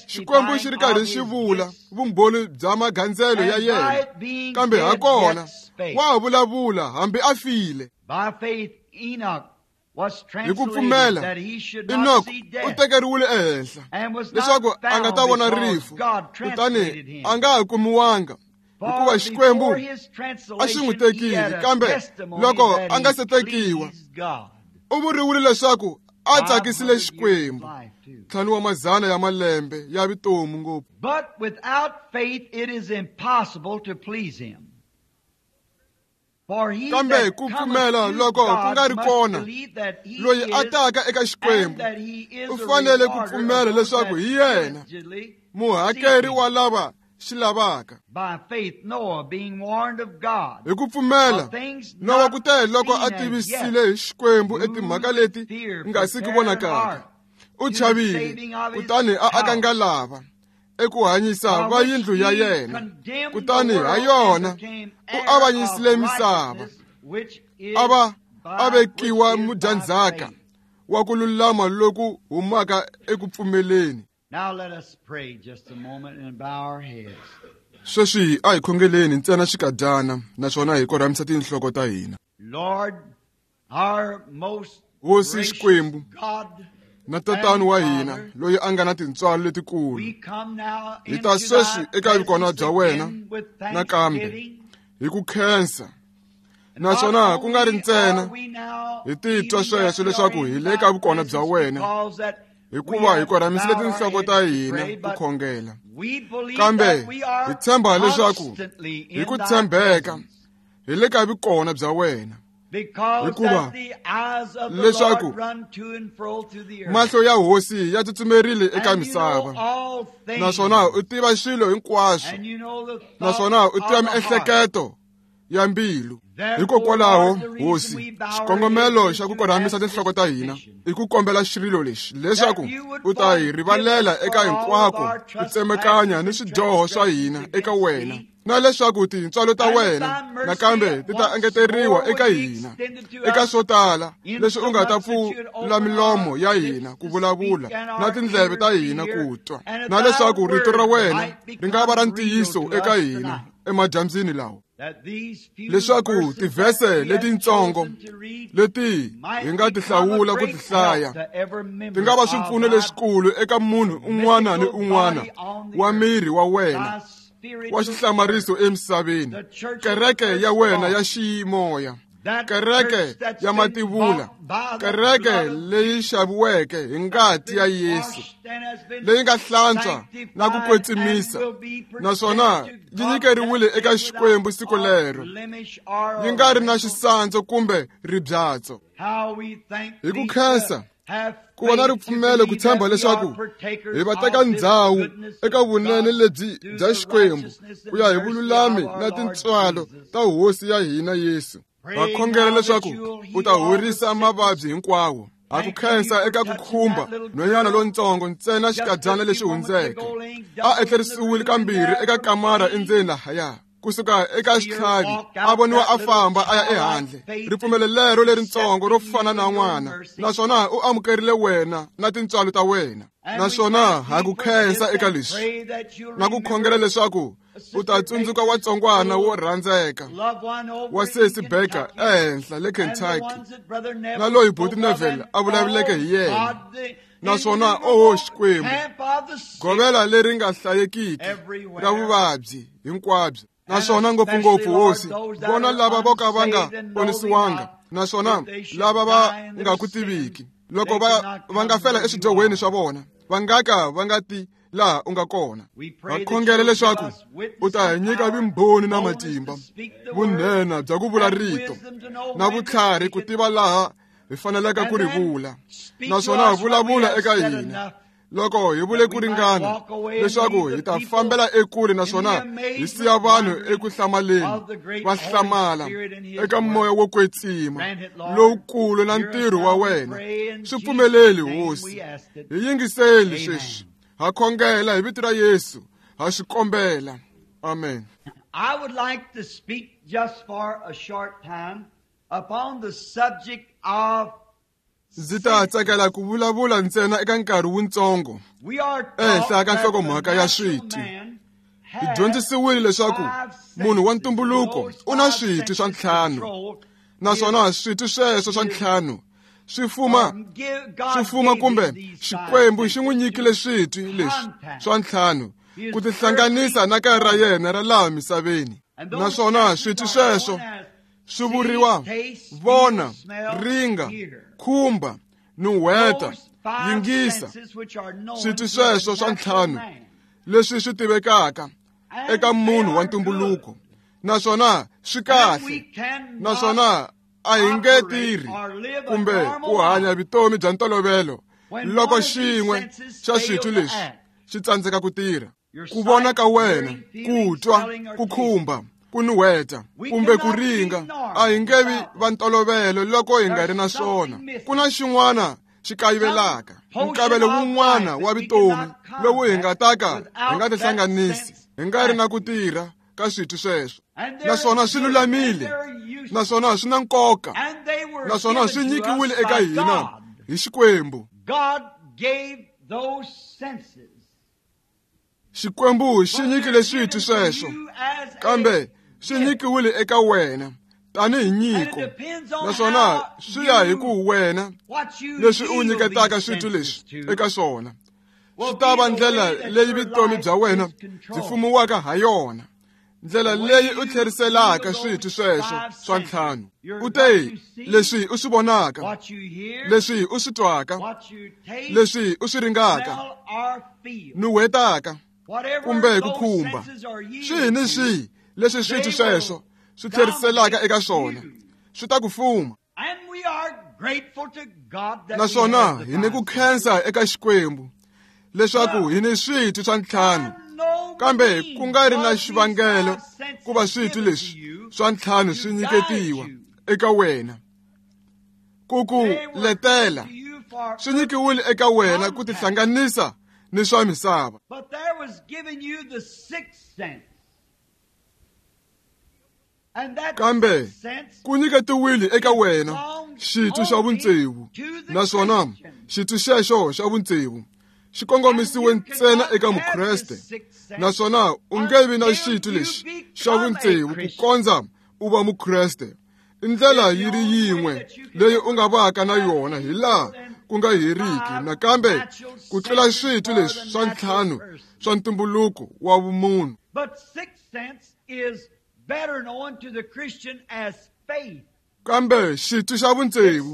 S2: Xikwembu xi
S1: testifying
S2: ri karhi
S1: of
S2: xi
S1: his
S2: vula
S1: gifts,
S2: vumbhoni bya magandzelo ya
S1: and by
S2: yena,
S1: it being
S2: kambe ha
S1: dead
S2: kona
S1: yet spake.
S2: wa ha vulavula hambi a file.
S1: By faith Enoch was
S2: Hi ku
S1: translated
S2: pfumela,
S1: that he should not
S2: Enoch
S1: see
S2: u
S1: death,
S2: tekeriwile ehenhla
S1: and was not
S2: leswaku a nga
S1: found
S2: ta vona
S1: because
S2: rifu,
S1: God
S2: kutani
S1: translated him.
S2: a nga ha kumiwanga
S1: For
S2: hikuva Xikwembu
S1: before his
S2: a xi n'wi
S1: translation he
S2: tekile.
S1: had a
S2: Kambe
S1: testimony
S2: loko
S1: that
S2: a nga
S1: he
S2: se tekiwa,
S1: pleased God.
S2: u vuriwile leswaku a tsakisile
S1: 500 years of
S2: Xikwembu.
S1: life, too.
S2: 5 wa mazana ya malembe ya vutomi ngopfu.
S1: But without faith it is impossible to please him. For he
S2: Kambe
S1: that
S2: ku
S1: cometh
S2: pfumela
S1: to
S2: loko ku
S1: God
S2: nga ri
S1: must
S2: kona,
S1: believe that he
S2: loyi a
S1: is,
S2: taka eka
S1: and
S2: Xikwembu
S1: that he is
S2: u
S1: a
S2: fanele ku
S1: rewarder of
S2: pfumela
S1: those
S2: leswaku
S1: that
S2: hi yena
S1: diligently seek
S2: muhakeri
S1: him.
S2: wa lava xi lavaka.
S1: By faith Noah, being warned of God
S2: Hi ku pfumela,
S1: of things
S2: Nowa
S1: not
S2: ku te loko a
S1: seen as
S2: tivisile
S1: yet,
S2: hi Xikwembu
S1: moved
S2: etimhaka
S1: with
S2: leti
S1: fear,
S2: nga siki
S1: prepared an
S2: vonakaka,
S1: ark
S2: u
S1: to the
S2: chavile,
S1: saving of his
S2: kutani a aka
S1: house,
S2: ngalava eku hanyisa
S1: by
S2: va
S1: which
S2: yindlu ya
S1: he
S2: yena,
S1: condemned the
S2: kutani ha
S1: world and
S2: yona
S1: became
S2: u
S1: heir of
S2: avanyisile misava,
S1: righteousness, which is
S2: a va a
S1: by which
S2: vekiwa
S1: is by
S2: mudyandzhaka
S1: faith.
S2: wa ku lulama loku humaka eku pfumeleni.
S1: Now let us pray just a moment and bow our heads.
S2: Sweswi a hi khongeleni ntsena xikadyana, naswona hi korhamisa tinhloko ta hina.
S1: Lord, our most
S2: Hosi
S1: gracious
S2: Xikwembu
S1: God,
S2: na Tatana wa
S1: and
S2: hina
S1: Father,
S2: loyi a nga na tintswalo letikulu,
S1: we come now
S2: hi ta
S1: into
S2: sweswi
S1: thy
S2: eka vukona
S1: presence
S2: bya wena
S1: again with
S2: nakambe
S1: thanksgiving.
S2: hi ku khensa,
S1: And not
S2: naswona ku nga ri
S1: only
S2: ntsena
S1: are we now
S2: hi titwa
S1: feeling that
S2: sweswo
S1: we are
S2: leswaku hi
S1: in
S2: le
S1: thy
S2: ka vukona bya
S1: presence
S2: wena,
S1: because that we
S2: hikuva hi
S1: have
S2: korhamisile
S1: bowed our
S2: tinhloko ta
S1: heads to
S2: hina
S1: pray,
S2: ku
S1: but
S2: khongela.
S1: we believe
S2: Kambe
S1: that we
S2: hi
S1: are
S2: tshemba leswaku
S1: constantly
S2: hi
S1: in
S2: ku
S1: thy
S2: tshembeka
S1: presence
S2: hi le ka vukona bya wena,
S1: because
S2: hikuva
S1: that the eyes of the
S2: leswaku
S1: Lord run to and fro through the earth.
S2: mahlo ya Hosi ya tsutsumerile eka
S1: And you know
S2: misava,
S1: all
S2: naswona
S1: things,
S2: u tiva swilo hinkwaswo,
S1: and you know the thoughts
S2: naswona u tiva
S1: of the heart.
S2: miehleketo ya mbilu.
S1: Therefore,
S2: Hikokwalaho,
S1: Lord, the reason
S2: Hosi,
S1: we bow our
S2: xikongomelo
S1: heads
S2: xa
S1: is
S2: ku
S1: to
S2: korhamisa
S1: ask this
S2: tinhloko ta hina
S1: petition,
S2: i ku kombela xirilo lexi
S1: that
S2: leswaku
S1: you would
S2: u ta hi
S1: forgive
S2: rivalela
S1: us for
S2: eka
S1: all of
S2: hinkwako
S1: our
S2: ku tsemekanya ni
S1: trespasses and
S2: swidyoho swa
S1: transgressions
S2: hina eka
S1: against
S2: wena,
S1: thee,
S2: na leswaku tintswalo ta
S1: and that
S2: wena
S1: thy mercy
S2: nakambe ti ta
S1: once
S2: engeteriwa
S1: more
S2: eka
S1: would be
S2: hina
S1: extended to
S2: eka
S1: us
S2: swo tala leswi u nga ta
S1: insomuch that you'd
S2: pfula
S1: open
S2: milomo
S1: our
S2: ya
S1: lips
S2: hina ku
S1: to
S2: vulavula
S1: speak and
S2: na
S1: our
S2: tindleve ta
S1: ears to
S2: hina
S1: hear,
S2: ku twa,
S1: and that
S2: na
S1: thy
S2: leswaku rito ra
S1: word
S2: wena
S1: might
S2: ri nga va ra
S1: become real
S2: ntiyiso
S1: to
S2: eka
S1: us
S2: hina
S1: tonight.
S2: emadyambyini lawa, leswaku tivhese letintsongo leti hi nga ti hlawula ku ti hlaya ti nga va swipfuno leswikulu eka munhu un'wana ni un'wana wa miri wa wena wa xihlamariso emisaveni, kereke ya wena ya ximoya, kereke ya mativula, kereke leyi xaviweke hi ngati ya Yesu, leyi nga hlantswa na ku kwetsimisa, naswona yi nyikeriwile eka Xikwembu siku lero, yi nga ri na xisandzu kumbe ribyatso. Hi ku khensa ku va na ripfumelo ku tshemba leswaku hi va teka ndzhawu eka vunene lebyi bya Xikwembu ku ya hi vululami na tintswalo ta Hosi ya hina Yesu. Va khongela leswaku u ta horisa mavabyi hinkwawo. Ha ku khensa eka ku khumba nhwanyana lontsongo ntsena xikadyana lexi hundzeke, a etlerisiwile kambirhi eka kamara endzeni lahaya, kusuka eka xitlhavi a voniwa a famba a ya ehandle. Ripfumelo lero lerintsongo ro fana na n'wana, naswona u amukerile wena na tintswalo ta wena. Naswona ha ku khensa eka leswi na ku khongela leswaku u ta tsundzuka watsongwana wo rhandzeka wa Sesi Baker ehenhla le Kentucky, na loyi Buti Neville a vulavuleke hi yena. Naswona oho Xikwembu, govela leri nga hlayekiki ra vuvabyi hinkwabyo, naswona ngopfungopfu Hosi, vona lava vo ka va nga ponisiwanga, naswona lava va nga ku tiviki, loko va nga fela eswidyohweni swa vona, va nga ka va nga ti laha u nga kona. Va khongela leswaku u ta hi nyika vumbhoni na matimba, vunhena bya ku vula rito, na vutlhari ku tiva laha hi faneleke ku ri vula, naswona vulavula eka hina loko hi vule ku ringana, leswaku hi ta fambela ekule naswona hi siya vanhu eku hlamaleni, va hlamala eka moya wo kwetsima lowukulu na ntirho wa wena. Swi pfumeleli Hosi, hi yingiseli sweswi. Ha khongela hi vito ra Yesu, ha swi kombela. Amen.
S1: I would like to speak just for a short time upon the subject of
S2: Ndzi ta tsakela ku vulavula ntsena eka nkarhi wuntsongo ehenhla ka nhlokomhaka ya switwi. Hi dyondzisiwile leswaku munhu wa ntumbuluko u na switwi swa ntlhanu, naswona switwi sweswo swa ntlhanu swi fuma kumbe Xikwembu xi n'wi nyikile switwi leswi swa ntlhanu ku tihlanganisa na kaya ra yena ra laha misaveni. Naswona switwi sweswo swi vuriwa vona, ringa, khumba, nuhweta, yingisa. Switwi sweswo swa ntlhanu leswi swi tivekaka eka munhu wa ntumbuluko, naswona swi kahle, naswona a hi nge tirhi kumbe ku hanya vutomi bya ntolovelo loko xin'we xa switwi leswi xi tsandzeka ku tirha. Ku vona ka wena, ku twa, ku khumba, ku nuhweta kumbe ku ringa, a hi nge vi va ntolovelo loko hi nga ri na swona. Ku na xin'wana xi kayivelaka, nkavelo wun'wana wa vutomi lowu hi nga ta ka hi nga tihlanganisi hi nga ri na ku tirha ka switwi sweswo. Naswona swi lulamile, naswona swi na nkoka, naswona swi nyikiwile eka hina hi Xikwembu. Xikwembu xi nyikile switwi sweswo, kambe swi nyikiwile eka wena tanihi nyiko, naswona swi ya hi ku wena leswi u nyiketaka switwi leswi eka swona swi ta va ndlela leyi vutomi bya wena byi fumiwaka ha yona, ndlela leyi u tlheriselaka switwi sweswo swa ntlhanu. U te leswi u swi vonaka, leswi u swi twaka, leswi u swi ringaka, nuhwetaka kumbe ku khumba, swihi ni swihi leswi switwi sweswo swi tlheriselaka eka swona swi ta ku fuma. Naswona hi ni ku khensa eka Xikwembu leswaku hi ni switwi swa ntlhanu, kambe ku nga ri na xivangelo ku va switwi leswi swa ntlhanu swi nyiketiwa eka wena ku ku letela. Swi nyikiwile eka wena ku tihlanganisa ni swa misava. Kambe ku nyiketiwile eka wena xitwi xa vutsevu, naswona xitwi xexo xa vutsevu xi kongomisiwe ntsena eka Mukreste, naswona u nge vi na xitwi lexi xa vutsevu ku kondza u va Mukreste. I ndlela yi ri yin'we leyi u nga vaka na yona hi laha ku nga heriki, nakambe ku tlula switwi leswi swa ntlhanu swa ntumbuluko wa vumunhu. Kambe xitwi xa vutsevu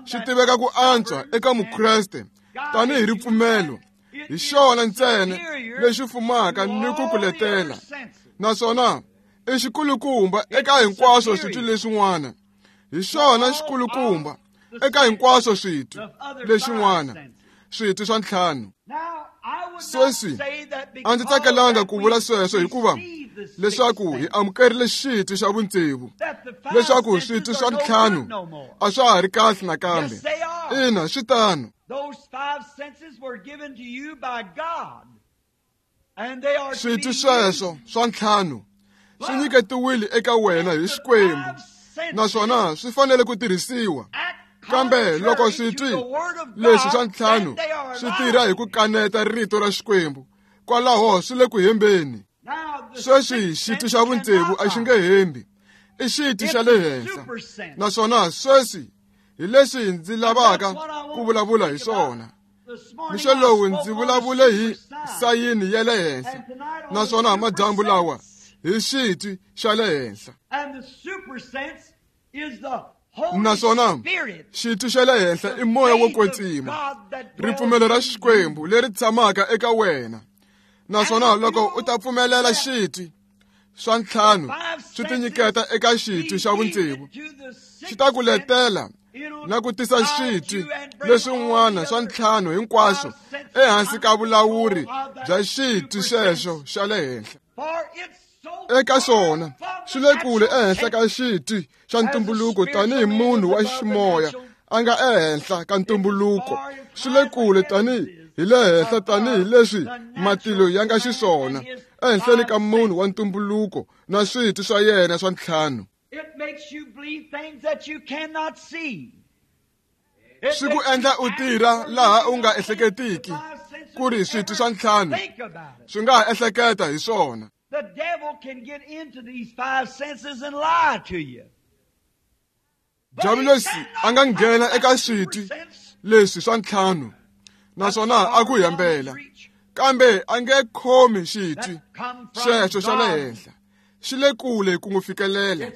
S2: xi tiveka ku antswa eka Mukreste tanihi ripfumelo. Hi xona ntsena lexi fumaka ni ku kuletela, naswona i xikulukumba eka hinkwaswo switwi leswin'wana. Hi xona xikulukumba eka hinkwaswo switwi leswin'wana, switwi swa ntlhanu. Sweswi a ndzi tsakelanga ku vula sweswo hikuva leswaku hi amukerile xitwi xa vutsevu, leswaku switwi swa ntlhanu a swa ha ri kahle nakambe. Ina, swi tano. Switwi sweswo swa ntlhanu swi nyiketiwile eka wena hi Xikwembu, naswona swi fanele ku tirhisiwa. Kambe loko switwi leswi swa ntlhanu swi tirha hi ku kaneta rito ra Xikwembu, kwalaho swi le ku hembeni. Sweswi xitwi xa vutsevu a xi nge hembi, i xitwi xa le henhla. Naswona sweswi hi leswi ndzi lavaka ku vulavula hi swona. Mixo lowu ndzi vulavule hi sayini ya le henhla, naswona madyambu lawa hi xitwi xa le henhla. Naswona xitwi xa le henhla i moya wo kwetsima, ripfumelo ra Xikwembu leri tshamaka eka wena. Naswona loko u ta pfumelela xitwi swa ntlhanu swi tinyiketa eka xitwi xa vutsevu, xi ta ku letela na ku tisa xitwi leswin'wana swa ntlhanu hinkwaswo ehansi ka vulawuri bya xitwi xexo xa le henhla. Eka swona swi le kule ehenhla ka xitwi xa ntumbuluko tanihi munhu wa ximoya a nga ehenhla ka ntumbuluko. Swi le kule tanihi hi le henhla tanihi leswi matilo ya nga xiswona ehenhleni ka munhu wa ntumbuluko na switwi swa yena swa ntlhanu. Swi ku endla u tirha laha u nga ehleketiki ku ri switwi swa ntlhanu swi nga ha ehleketa hi swona.
S1: The devil can get into these five senses and lie to you.
S2: Diabulosi a nga nghena eka switwi leswi swa ntlhanu naswona a ku hembela, kambe a nge khomi xitwi xexo xa le henhla. Xi le kule ku n'wi fikelela.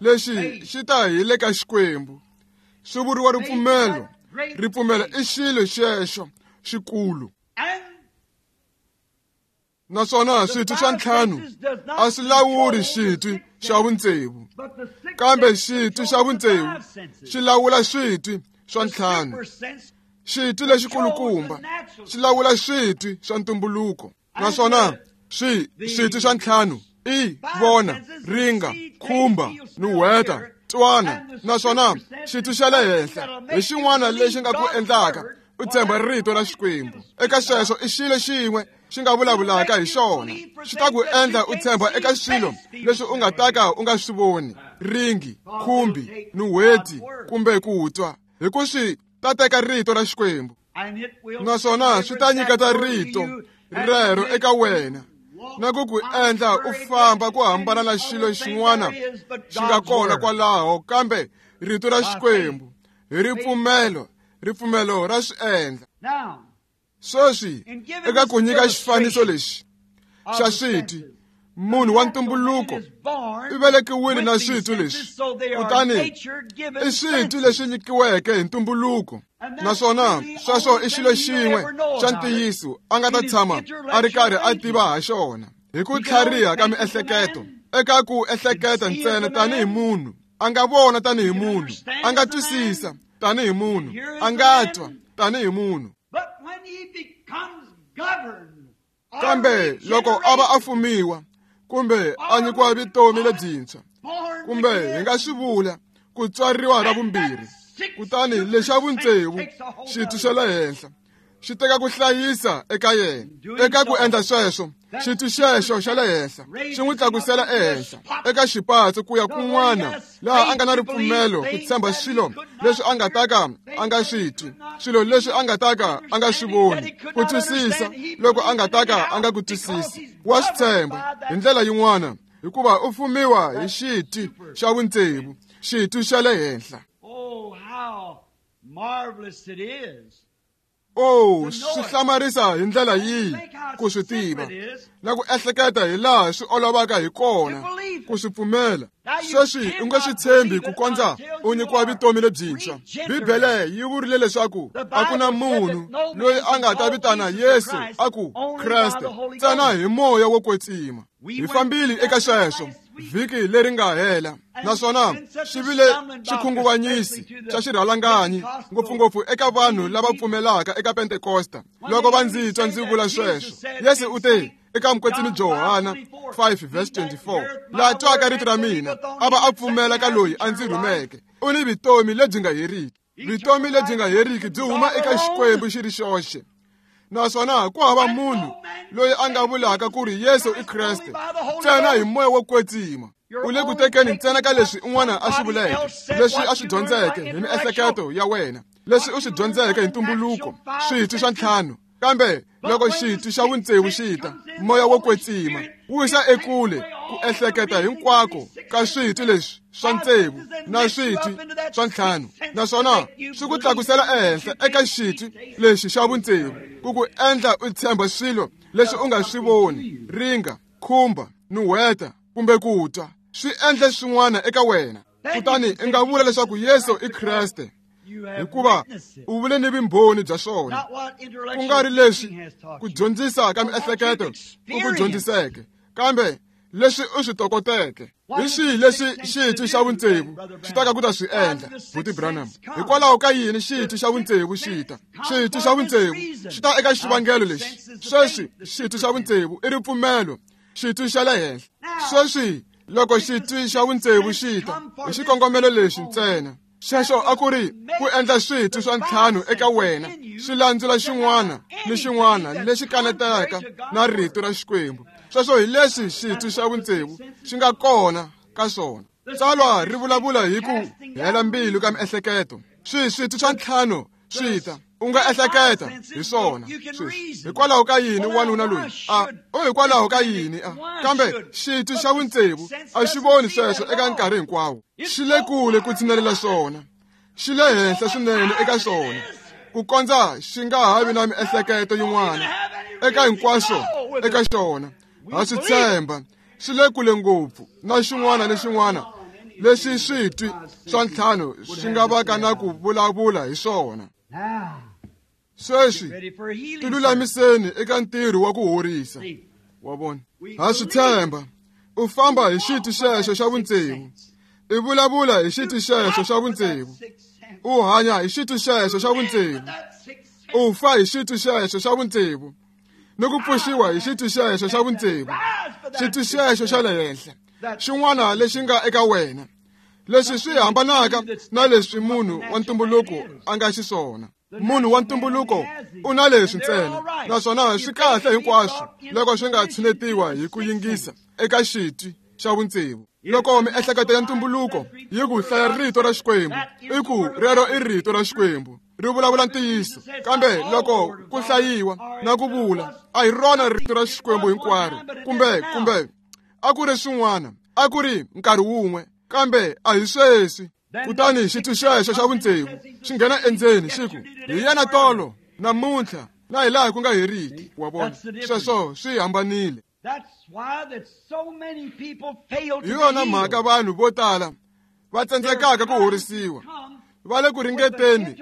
S2: Lexi xi ta hi le ka Xikwembu. Swi vuriwa ripfumelo. Ripfumelo i xilo xexo xikulu. Naswona switwi swa ntlhanu a swi lawuri xitwi xa vutsevu, kambe xitwi xa vutsevu xi lawula switwi swa ntlhanu. Xitwi lexikulukumba xi lawula switwi swa ntumbuluko, naswona switwi swa ntlhanu i vona, ringa, khumba, nuhweta, twana. Naswona xitwi xa le henhla hi xin'wana lexi nga ku endlaka u tshemba rito ra Xikwembu. Eka sweswo i xilo xin'we xi nga vulavulaka hi xona, xi ta ku endla u tshemba eka swilo leswi u nga ta ka u nga swi voni, ringi, khumbi, nuhweti kumbe ku twa, hi ku swi ta teka rito ra Xikwembu, naswona swi ta nyiketa rito rero eka wena na ku ku endla u famba ku hambana na xilo xin'wana xi nga kona kwalaho, kambe rito ra Xikwembu hi ripfumelo, ripfumelo ra swi endla. Sweswi eka ku nyika xifaniso lexi xa switwi, munhu wa ntumbuluko u velekiwile na switwi leswi, kutani i switwi leswi nyikiweke hi ntumbuluko, naswona sweswo i xilo xin'we xa ntiyiso a nga ta tshama a ri karhi a tiva ha xona hi ku tlhariha ka miehleketo. Eka ku ehleketa ntsena tanihi munhu, a nga vona tanihi munhu, a nga twisisa tanihi munhu, a nga twa tanihi munhu. Kambe loko a va a fumiwa kumbe a nyikiwa vutomi lebyintshwa, kumbe hi nga swi vula ku tswariwa ra vumbirhi, kutani lexa vutsevu xitwi xa le henhla xi teka ku hlayisa eka yena. Eka ku endla sweswo Xitwi xexo xa le henhla xi n'wi tlakusela ehenhla eka xipatso ku ya kun'wana laha a nga na ripfumelo ku tshemba swilo leswi a nga ta ka a nga swi twi, swilo leswi a nga ta ka a nga swi voni, ku twisisa loko a nga ta ka a nga ku twisisi. Wa swi tshemba hi ndlela yin'wana hikuva u fumiwa hi xitwi xa vutsevu, xitwi xa le henhla. Oh, swi hlamarisa hi ndlela yihi ku swi tiva na ku ehleketa hi laha swi olovaka hi kona ku swi pfumela. Sweswi u nge swi tshembi ku kondza u nyikiwa vutomi lebyintshwa. Bibele yi vurile leswaku a ku na munhu loyi a nga ta vitana Yesu a ku Kreste ntsena hi moya wo kwetsima. Hi fambile eka sweswo vhiki leri nga hela, naswona swi vile xikhunguvanyisi xa xirhalanganyi ngopfungopfu eka vanhu lava pfumelaka eka Pentekosta. Loko va ndzi twa ndzi vula sweswo, Yesu u te eka mukwetsimi Johana 5:24, laha twaka rito ra mina a va a pfumela ka loyi a ndzi rhumeke, u ni vutomi lebyi nga heriki. Vutomi lebyi nga heriki byi huma eka Xikwembu xi ri xoxe, naswona ku hava munhu loyi a nga vulaka ku ri Yesu i Kreste ntsena hi moya wo kwetsima. U le ku tekeni ntsena ka leswi un'wana a swi vuleke, leswi a swi dyondzeke hi miehleketo ya wena, leswi u swi dyondzeke hi ntumbuluko, switwi swa ntlhanu. Kambe loko xitwi xa vutsevu xi ta, moya wo kwetsima wu yisa ekule ku ehleketa hinkwako ka switwi leswi swa tsevu na switwi swa ntlhanu, naswona swi ku tlakusela ehenhla eka xitwi lexi xa vutsevu ku ku endla u tshemba swilo leswi u nga swi voni, ringa, khumba, nuhweta kumbe ku twa, swi endle swin'wana eka wena. Kutani u nga vula leswaku Yesu i Kreste hikuva u vule ni vumbhoni bya swona, ku nga ri leswi ku dyondzisa ka miehleketo u ku dyondziseke, kambe leswi u swi tokoteke. Hi swihi leswi xitwi xa vutsevu xi taka ku ta swi endla, Buti Branham? Hikwalaho ka yini xitwi xa vutsevu xi ta? Xitwi xa vutsevu xi ta eka xivangelo lexi. Sweswi xitwi xa vutsevu i ripfumelo, xitwi xa le henhla. Sweswi loko xitwi xa vutsevu xi ta hi xikongomelo lexi ntsena, xexo a ku ri ku endla switwi swa ntlhanu eka wena swi landzula xin'wana ni xin'wana lexi kanetaka na rito ra Xikwembu. Sweswo hi leswi xitwi xa vutsevu xi nga kona ka swona. Tsalwa ri vulavula hi ku hela mbilu ka miehleketo. Switwi swa ntlhanu swi ta, u nga ehleketa hi swona sweswi. Hikwalaho ka yini wanuna loyi a u hikwalaho ka yini a kambe xitwi xa vutsevu a xi voni sweswo eka nkarhi hinkwawo. Xi le kule ku tshinelela swona, xi le henhla swinene eka swona ku kondza xi nga ha vi na miehleketo yin'wana eka hinkwaswo eka xona. Ha swi tshemba, swi le kule ngopfu na xin'wana ni xin'wana leswi switwi swa ntlhanu swi nga vaka na ku vulavula hi swona. Sweswi tilulamiseni eka ntirho wa ku horisa. Wa vona, ha swi tshemba. U famba hi xitwi xexo xa vutsevu, i vulavula hi xitwi xexo xa vutsevu, u hanya hi xitwi xexo xa vutsevu, u fa hi xitwi xexo xa vutsevu, ni ku pfuxiwa hi xitwi xexo xa vutsevu, xitwi xexo xa le henhla, xin'wana lexi nga eka wena, leswi swi hambanaka na leswi munhu wa ntumbuluko a nga xiswona. Munhu wa ntumbuluko u na leswi ntsena, naswona swi kahle hinkwaswo loko swi nga tshinetiwa hi ku yingisa eka xitwi xa vutsevu. Loko miehleketo ya ntumbuluko yi ku hlaya rito ra Xikwembu, i ku rero i rito ra Xikwembu, ri vulavula ntiyiso. Kambe loko ku hlayiwa na ku vula, a hi rona rito ra Xikwembu hinkwaro, kumbe a ku ri swin'wana, a ku ri nkarhi wun'we, kambe a hi sweswi. Kutani xitwi xexo xa vutsevu xi nghena endzeni xi ku, hi yena tolo, namuntlha, na hi laha ku nga heriki. Wa vona, sweswo swi hambanile. Hi yona mhaka vanhu vo tala va tsandzekaka ku horisiwa, va le ku ringeteni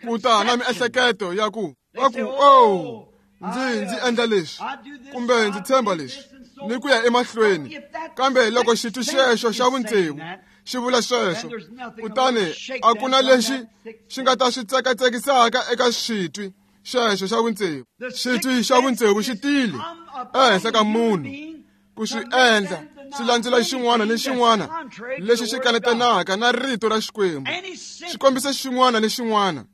S2: ku ta na miehleketo ya ku va ku, oh, ndzi endla leswi kumbe ndzi tshemba leswi, ni ku ya emahlweni. Kambe loko xitwi xexo xa vutsevu xi vula sweswo, kutani a ku na lexi xi nga ta swi tsekatsekisaka eka xitwi xexo xa vutsevu. Xitwi xa vutsevu xi tile ehenhla ka munhu ku swi endla swi landzela xin'wana ni xin'wana lexi xi kanetanaka na rito ra Xikwembu. Xi kombisa xin'wana ni xin'wana,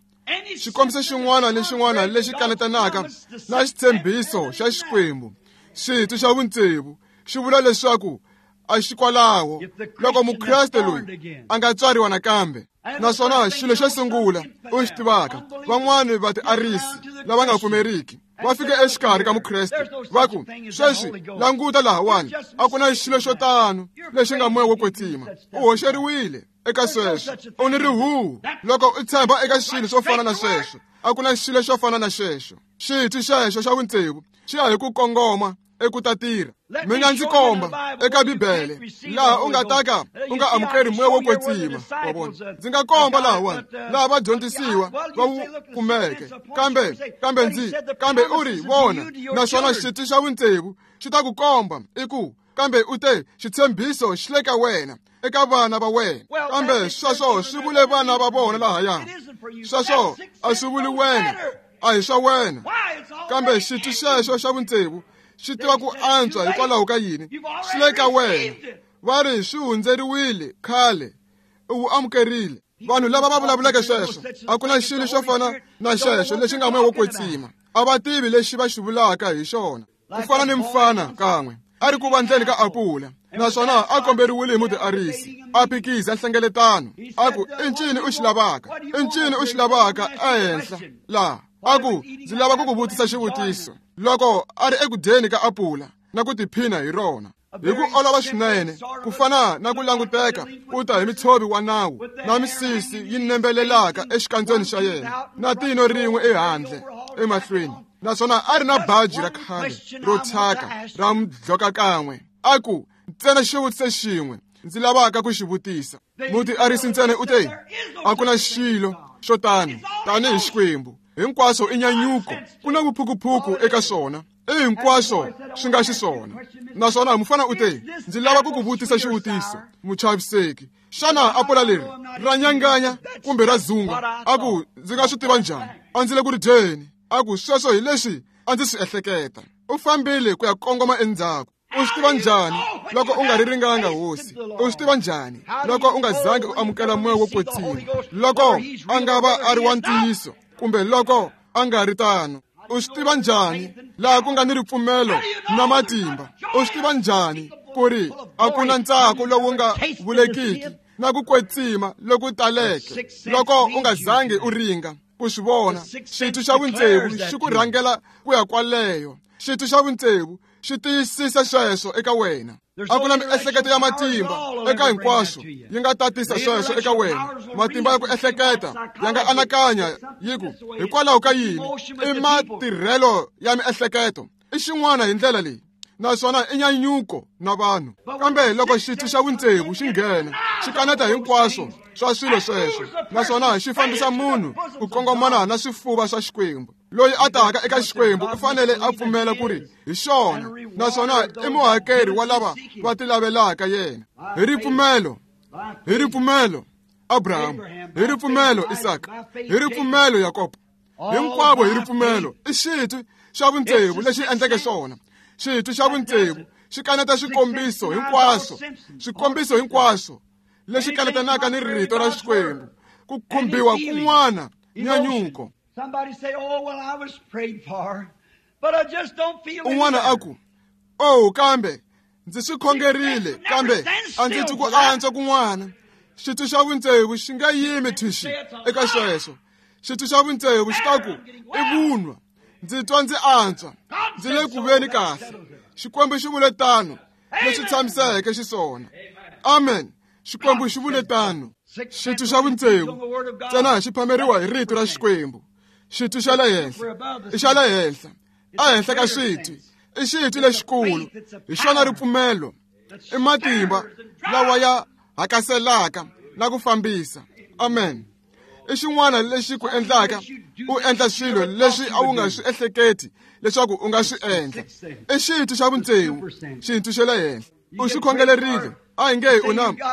S2: xi kombisa xin'wana ni xin'wana lexi kanetanaka na xitshembiso xa Xikwembu. Xitwi xa vutsevu xi vula leswaku a xi kwalaho loko mukreste loyi a nga tswariwa nakambe. Naswona xilo xo sungula u xi tivaka, van'wani va tiarisi lava nga pfumeriki va fika exikarhi ka mukreste va ku, sweswi languta lahawani, a ku na xilo xo tano lexi nga moya wo kwetsima. U hoxeriwile eka sweswo, u ni rihuhu loko u tshemba eka xilo xo fana na sweswo. A ku na xilo xo fana na xexo. Xitwi xexo xa vutsevu xi ya hi ku kongoma eku ta tirha. Mi nga ndzi komba eka Bibele laha u nga ta ka u nga amukeri moya wo kwetsima. Wa vona, ndzi nga komba lahawani laha vadyondzisiwa va wu kumeke, kambe u ri vona. Naswona xitwi xa vutsevu xi ta ku komba i ku, kambe u te xitshembiso xi le ka wena, eka vana va wena. Kambe sweswo swi vule vana va vona lahaya. Sweswo a swi vuli wena, a hi swa wena. Kambe xitwi xexo xa vutsevu xi tiva ku antswa hikwalaho ka yini swi le ka wena. Va ri swi hundzeriwile khale, u wu amukerile. Vanhu lava va vulavuleke sweswo, a ku na xilo xo fana na xexo lexi nga moya wo kwetsima. A va tivi lexi va xi vulaka hi xona. Ku fana ni mfana kan'we a ri ku vandleni ka apula, naswona a komberiwile hi mutiarisi a phikiza nhlengeletano, a ku, i ncini u xi lavaka? I ncini u xi lavaka ehenhla laha? A ku, ndzi lava ku ku vutisa xivutiso. Loko a ri eku dyeni ka apula na ku tiphina hi rona hi ku olova swinene, ku fana na ku languteka u ta hi mitshovi wa nawu na misisi yi nembelelaka exikandzeni xa yena na tino rin'we ehandle emahlweni, naswona a ri na baji ra khale ro thyaka ra mudloka kan'we. A ku, ntsena xivutiso xin'we ndzi lavaka ku xi vutisa. Mutiarisi ntsena u te, a ku na xilo xo tano tanihi Xikwembu. Hinkwaswo i nyanyuko, ku na vuphukuphuku eka swona, i hinkwaswo swi nga xiswona. Naswona mufana u te, ndzi lava ku ku vutisa xivutiso, muchaviseki, xana apula leri ra nyanganya kumbe ra zunga? A ku, ndzi nga swi tiva njhani? A ndzi le ku ri dyeni. A ku, sweswo hi leswi a ndzi swi ehleketa. U fambile ku ya kongoma endzhaku. U swi tiva njhani loko u nga ri ringanga hosi? U swi tiva njhani loko u nga zangi u amukela moya wo kwetsima, loko a nga va a ri wa ntiyiso kumbe loko a nga ri tano? U swi tiva njhani laha ku nga ni ripfumelo na matimba? U swi tiva njhani ku ri a ku na ntsako lowu nga vulekiki na ku kwetsima loku taleke loko u nga zangi u ringa ku swi vona? Xitwi xa vutsevu xi ku rhangela ku ya kwaleyo. Xitwi xa vutsevu xi tiyisisa sweswo eka wena. A ku na miehleketo ya matimba eka hinkwaswo yi nga tatisa sweswo eka wena. Matimba ya ku ehleketa ya nga anakanya yi ku, hikwalaho ka yini? I matirhelo ya miehleketo, i xin'wana hi ndlela leyi, naswona i nyanyuko na vanhu. Kambe loko xitwi xa vutsevu xi nghena, xi kaneta hinkwaswo swa swilo sweswo, naswona xi fambisa munhu ku kongomana na swifuva swa Xikwembu. Loyi a taka eka Xikwembu u fanele a pfumela ku ri hi xona, naswona i muhakeri wa lava va tilavelaka yena. Hi ripfumelo, hi ripfumelo Abraham, hi ripfumelo Isaka, hi ripfumelo Yakobo, hinkwavo hi ripfumelo. I xitwi xa vutsevu lexi endleke swona. Xitwi xa vutsevu xi kaneta swikombiso hinkwaswo, swikombiso hinkwaswo leswi kanetanaka ni rito ra Xikwembu, ku khumbiwa kun'wana nyanyuko. Un'wana a ku, oh, kambe ndzi swi khongerile, kambe a ndzi twi ku antswa kun'wana. Xitwi xa vutsevu xi nga yimi thwixi eka sweswo. Xitwi xa vutsevu xi ta ku, i vunwa, ndzi twa ndzi antswa, ndzi le ku veni kahle. Xikwembu xi vule tano, leswi tshamiseke xiswona. Amen. Xikwembu xi vule tano. Xitwi xa vutsevu ntsena xi phameriwa hi rito ra Xikwembu. Xitwi xa le henhla i xa le henhla, ehenhla ka xitwi i xitwi lexikulu, hi xona ripfumelo, i matimba lawa ya hakaselaka na ku fambisa. Amen. I xin'wana lexi ku endlaka u endla swilo leswi a wu nga swi ehleketi leswaku u nga swi endla. I xitwi xa vutsevu, xitwi xa le henhla. U xi khongelerile, a hi nge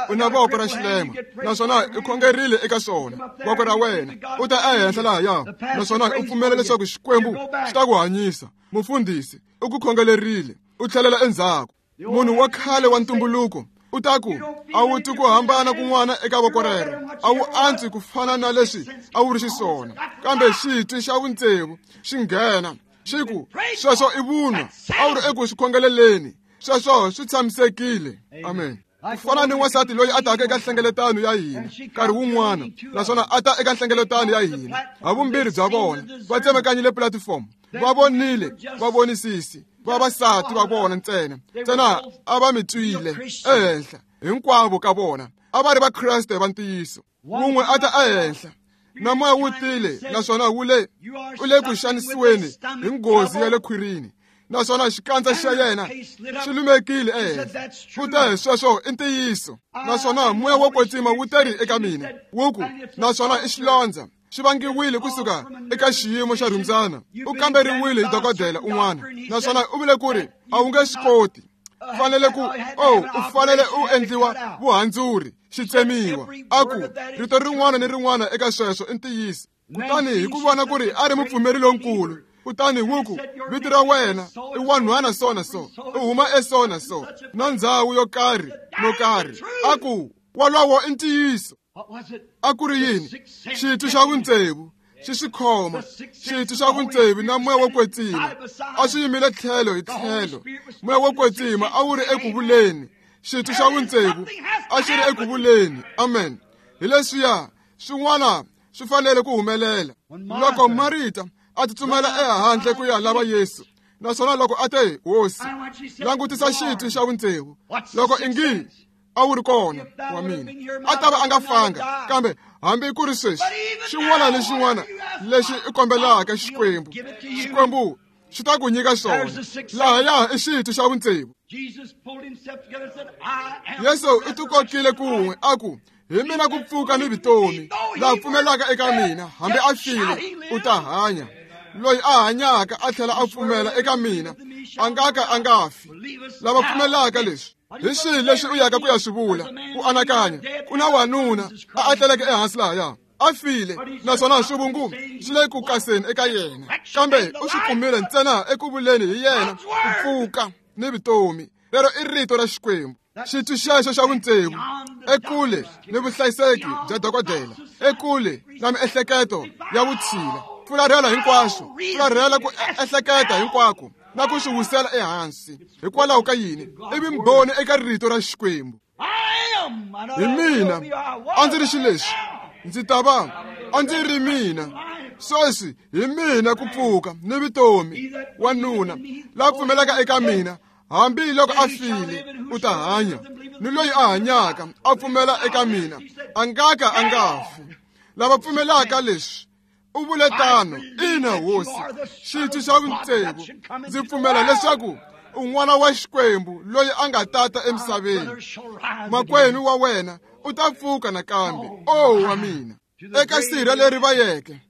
S2: u na voko ra xilema, naswona u khongerile eka swona voko ra wena, u ta ehenhla lahaya, naswona u pfumela leswaku Xikwembu xi ta ku hanyisa. Mufundhisi u ku khongelerile, u tlhelela endzhaku. Munhu wa khale wa ntumbuluko u ta ku, a wu twi ku hambana kun'wana eka voko rero, a wu antswi ku fana na leswi a wu ri xiswona. Kambe xitwi xa vutsevu xi nghena, Xi ku, sweswo i vunwa, a wu ri eku swi khongeleleni. Sweswo swi tshamisekile. Amen. Ku fana ni wansati loyi a taka eka nhlengeletano ya hina nkarhi wun'wana, naswona a ta eka nhlengeletano ya hina, havumbirhi bya vona va tsemekanyile pulatifomo, va vonile va vonisisi vavasati va vona ntsena ntsena a va mi twile ehenhla hinkwavo ka vona a va ri vakreste va ntiyiso. Wun'we a ta ehenhla na moya wu tile, naswona wu le u le ku xanisiweni hi nghozi ya le khwirini, naswona xikandza xa yena xi lumekile ehenhla. U te, sweswo i ntiyiso. Naswona moya wo kwetsima wu teri eka mina wu ku, naswona i xilondza xi vangiwile kusuka eka xiyimo xa rhumbyana. U kamberiwile hi dokodela un'wana, naswona u vule ku ri a wu nge swi koti, fanele ku u fanele u endliwa vuhandzuri, xi tsemiwa. A ku, rito rin'wana ni rin'wana eka sweswo i ntiyiso. Kutani hi ku vona ku ri a ri mupfumeri lonkulu, kutani wu ku, vito ra wena i wanhwana so na so, u huma eso na so, na ndzhawu yo karhi no karhi. A ku, wolowo i ntiyiso. A ku ri yini? Xitwi xa vutsevu xi swi khoma, xitwi xa vutsevu na moya wo kwetsima a swi yimile tlhelo hi tlhelo. Moya wo kwetsima a wu ri eku vuleni, xitwi xa vutsevu a xi ri eku vuleni. Amen. Hi leswiya swin'wana swi fanele ku humelela. Loko Marita a tsutsumela ehandle ku ya lava Yesu, naswona loko a te, Hosi, langutisa xitwi xa vutsevu, loko ingi a wu ri kona wa mina, a ta va a nga fanga. Kambe hambi ku ri sweswi, xin'wana ni xin'wana lexi i kombelaka Xikwembu, Xikwembu xi ta ku nyika xona. Lahaya i xitwi xa vutsevu. Yesu u tikokile kun'we a ku, hi mina ku pfuka ni vutomi, la pfumelaka eka mina hambi a file u ta hanya. Loyi a hanyaka a tlhela a pfumela eka mina a nga ka a nga fi. Lava pfumelaka leswi, hi swihi leswi u yaka ku ya swi vula? U anakanya ku na wanuna a atleleke ehansi lahaya, a file, naswona swivungu swi le ku kaseni eka yena, kambe u swi kumile ntsena eku vuleni hi yena ku pfuka ni vutomi. Lero i rito ra Xikwembu. Xitwi xexo xa vutsevu, ekule ni vuhlayiseki bya dokodela, ekule na miehleketo ya vutshila, fularhela hinkwaswo, fularhela ku ehleketa hinkwako na ku swi wisela ehansi. Hikwalaho ka yini? I vumbhoni eka rito ra Xikwembu. Hi mina a ndzi ri xileswi, ndzi ta va a ndzi ri mina. Sweswi hi mina ku pfuka ni vutomi. Wanuna la pfumelaka eka mina, hambi loko a file, u ta hanya. Ni loyi a hanyaka a pfumela eka mina, a nga ka a nga fi. Lava pfumelaka leswi, u vule tano. Ina, Hosi, xitwi xa vutsevu, ndzi pfumela leswaku u n'wana wa Xikwembu loyi a nga tata emisaveni. Makwenu wa wena u ta pfuka nakambe. O wa mina, eka sirha leri va yeke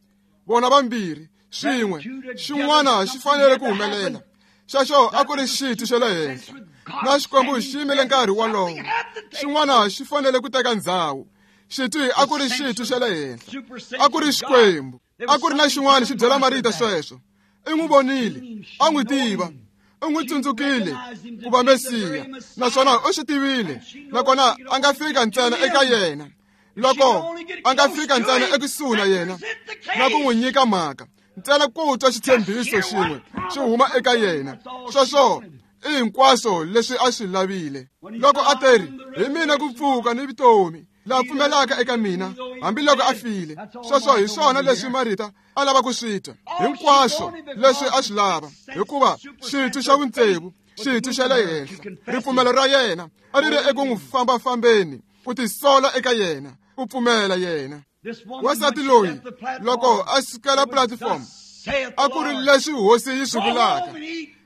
S2: vona vambirhi swin'we, xin'wana xi fanele ku humelela. Xexo a ku ri xitwi xa le henhla, na Xikwembu xi yimile nkarhi wolowo. Xin'wana xi fanele ku teka ndzhawu. Xitwi a ku ri xitwi xa le henhla, a ku ri Xikwembu. A ku ri na xin'wana xi byela Marita sweswo. I n'wi vonile, a n'wi tiva, u n'wi tsundzukile ku va Mesiya, naswona u swi tivile, nakona a nga fika ntsena eka yena. Loko a nga fika ntsena ekusuhi na yena na ku n'wi nyika mhaka, ntsena ku twa xitshembiso xin'we xi huma eka yena, sweswo i hinkwaswo leswi a swi lavile. Loko a teri, hi mina ku pfuka ni vutomi, la pfumelaka eka mina hambi loko a file. Sweswo hi swona leswi Marita a lava ku swi twa, hinkwaswo leswi a swi lava, hikuva xitwi xa vutsevu, xitwi xa le henhla, ripfumelo ra yena a ri ri eku n'wi fambafambeni, ku tisola eka yena, ku pfumela yena. Wansati loyi loko a sukela platform, a ku ri leswi Hosi yi swi vulaka,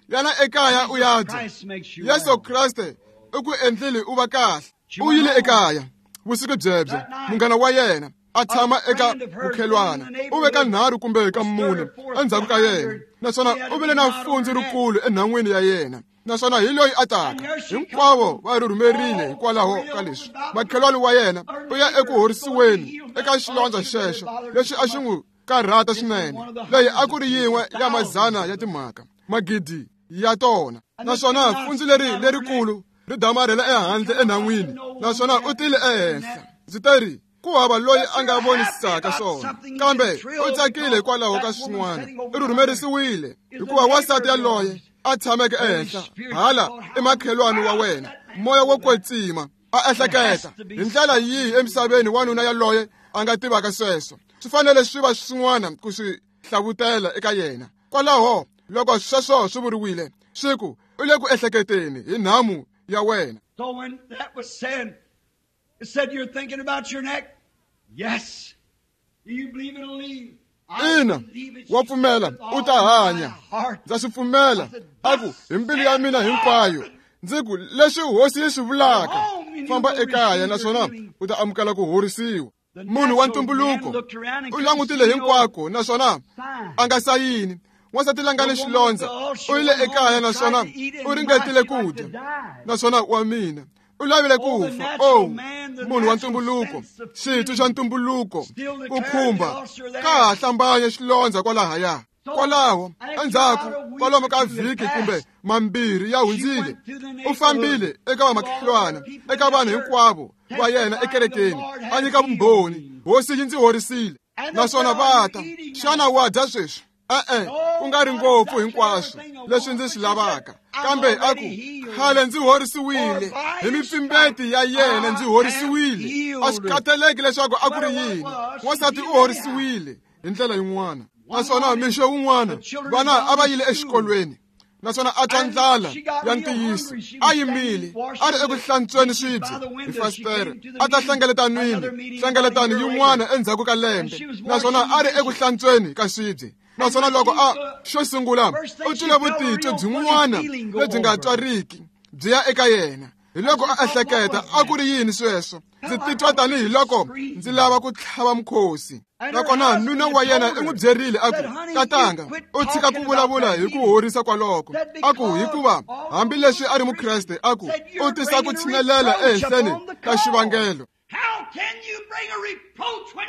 S2: yana ekaya u ya dya. Yesu Kreste u ku endlile u va kahle. U yile ekaya vusiku byebyo, munghana wa yena a tshama eka vukhelwana, u ve ka 3 kumbe ka 4 endzhaku ka yena, naswona u vile na fundzu rikulu enhan'wini ya yena, naswona hi loyi a taka. Hinkwavo va rhurhumerile hikwalaho ka leswi. Makhelwani wa yena u ya eku horisiweni eka xilondza xexo lexi a xi n'wi karhata swinene. Leyi a ku ri yin'we ya mazana ya timhaka, magidi ya tona, naswona fundzu leri lerikulu ri damarhela ehandle enhan'wini, naswona u tile ehenhla. Ndzi teri, Ku hava loyi a nga vonisaka swona, kambe u tsakile hikwalaho ka swin'wana. U rhurhumerisiwile hikuva wansati yaloye a tshameke ehenhla hala emakhelwani wa wena, moya wo kwetsima a ehleketa hi ndlela yihi emisaveni wanuna yaloye a nga tivaka sweswo. Swi fanele swi va swin'wana ku swi hlavutela eka yena. Kwalaho loko sweswo swi vuriwile, swi ku u le ku ehleketeni hi nhamu ya wena.
S1: So when that was said, it said you're thinking about your neck. Yes. Do you believe it'll leave?
S2: Ina, wa pfumela u ta hanya. Ndza swi pfumela, a ku hi mbilu ya mina hinkwayo. Ndzi ku leswi hosi yi swi vulaka, famba ekaya naswona u ta amukela ku horisiwa. Munhu wa ntumbuluko u langutile hinkwako naswona a nga sayini. Wansati la nga ni xilondza u yile ekaya naswona u ringetile ku dya, naswona wa mina u lavile ku fa. Oh, munhu wa ntumbuluko, xitwi xa ntumbuluko ku khumba ka ha hlambanya xilondza kwalahaya. Kwalaho endzhaku kwalomu ka vhiki kumbe mambirhi ya hundzile, u fambile eka vamakhelwana, eka vanhu hinkwavo va yena ekerekeni, a nyika vumbhoni, hosi yi ndzi horisile. Naswona va ta, xana wa dya sweswi? E-e, ku nga ri ngopfu hinkwaswo leswi ndzi swi lavaka, kambe a ku khale ndzi horisiwile hi mipfimbeti ya yena, ndzi horisiwile. A swi khathaleki leswaku a ku ri yini, wansati u horisiwile hi ndlela yin'wana. Naswona mixo wun'wana vana a va yile exikolweni, naswona a twa ndlala ya ntiyiso. A yimile a ri eku hlantsweni swibye hi fasitere, a ta hlengeletanwini hlengeletano yin'wana endzhaku ka lembe, naswona a ri eku hlantsweni ka swibye. Naswona loko a xo sungula u twile vutitwi byin'wana lebyi nga twariki byi ya eka yena. Hi loko a ehleketa, a ku ri yini sweswo? Ndzi titwa tanihi loko ndzi lava ku tlhava mukhosi. Nakona nuna wa yena i n'wi byerile a ku, katanga, u tshika ku vulavula hi ku horisa kwaloko. A ku hikuva hambileswi a ri mukreste, a ku u tisa ku tshinelela ehenhleni ka xivangelo.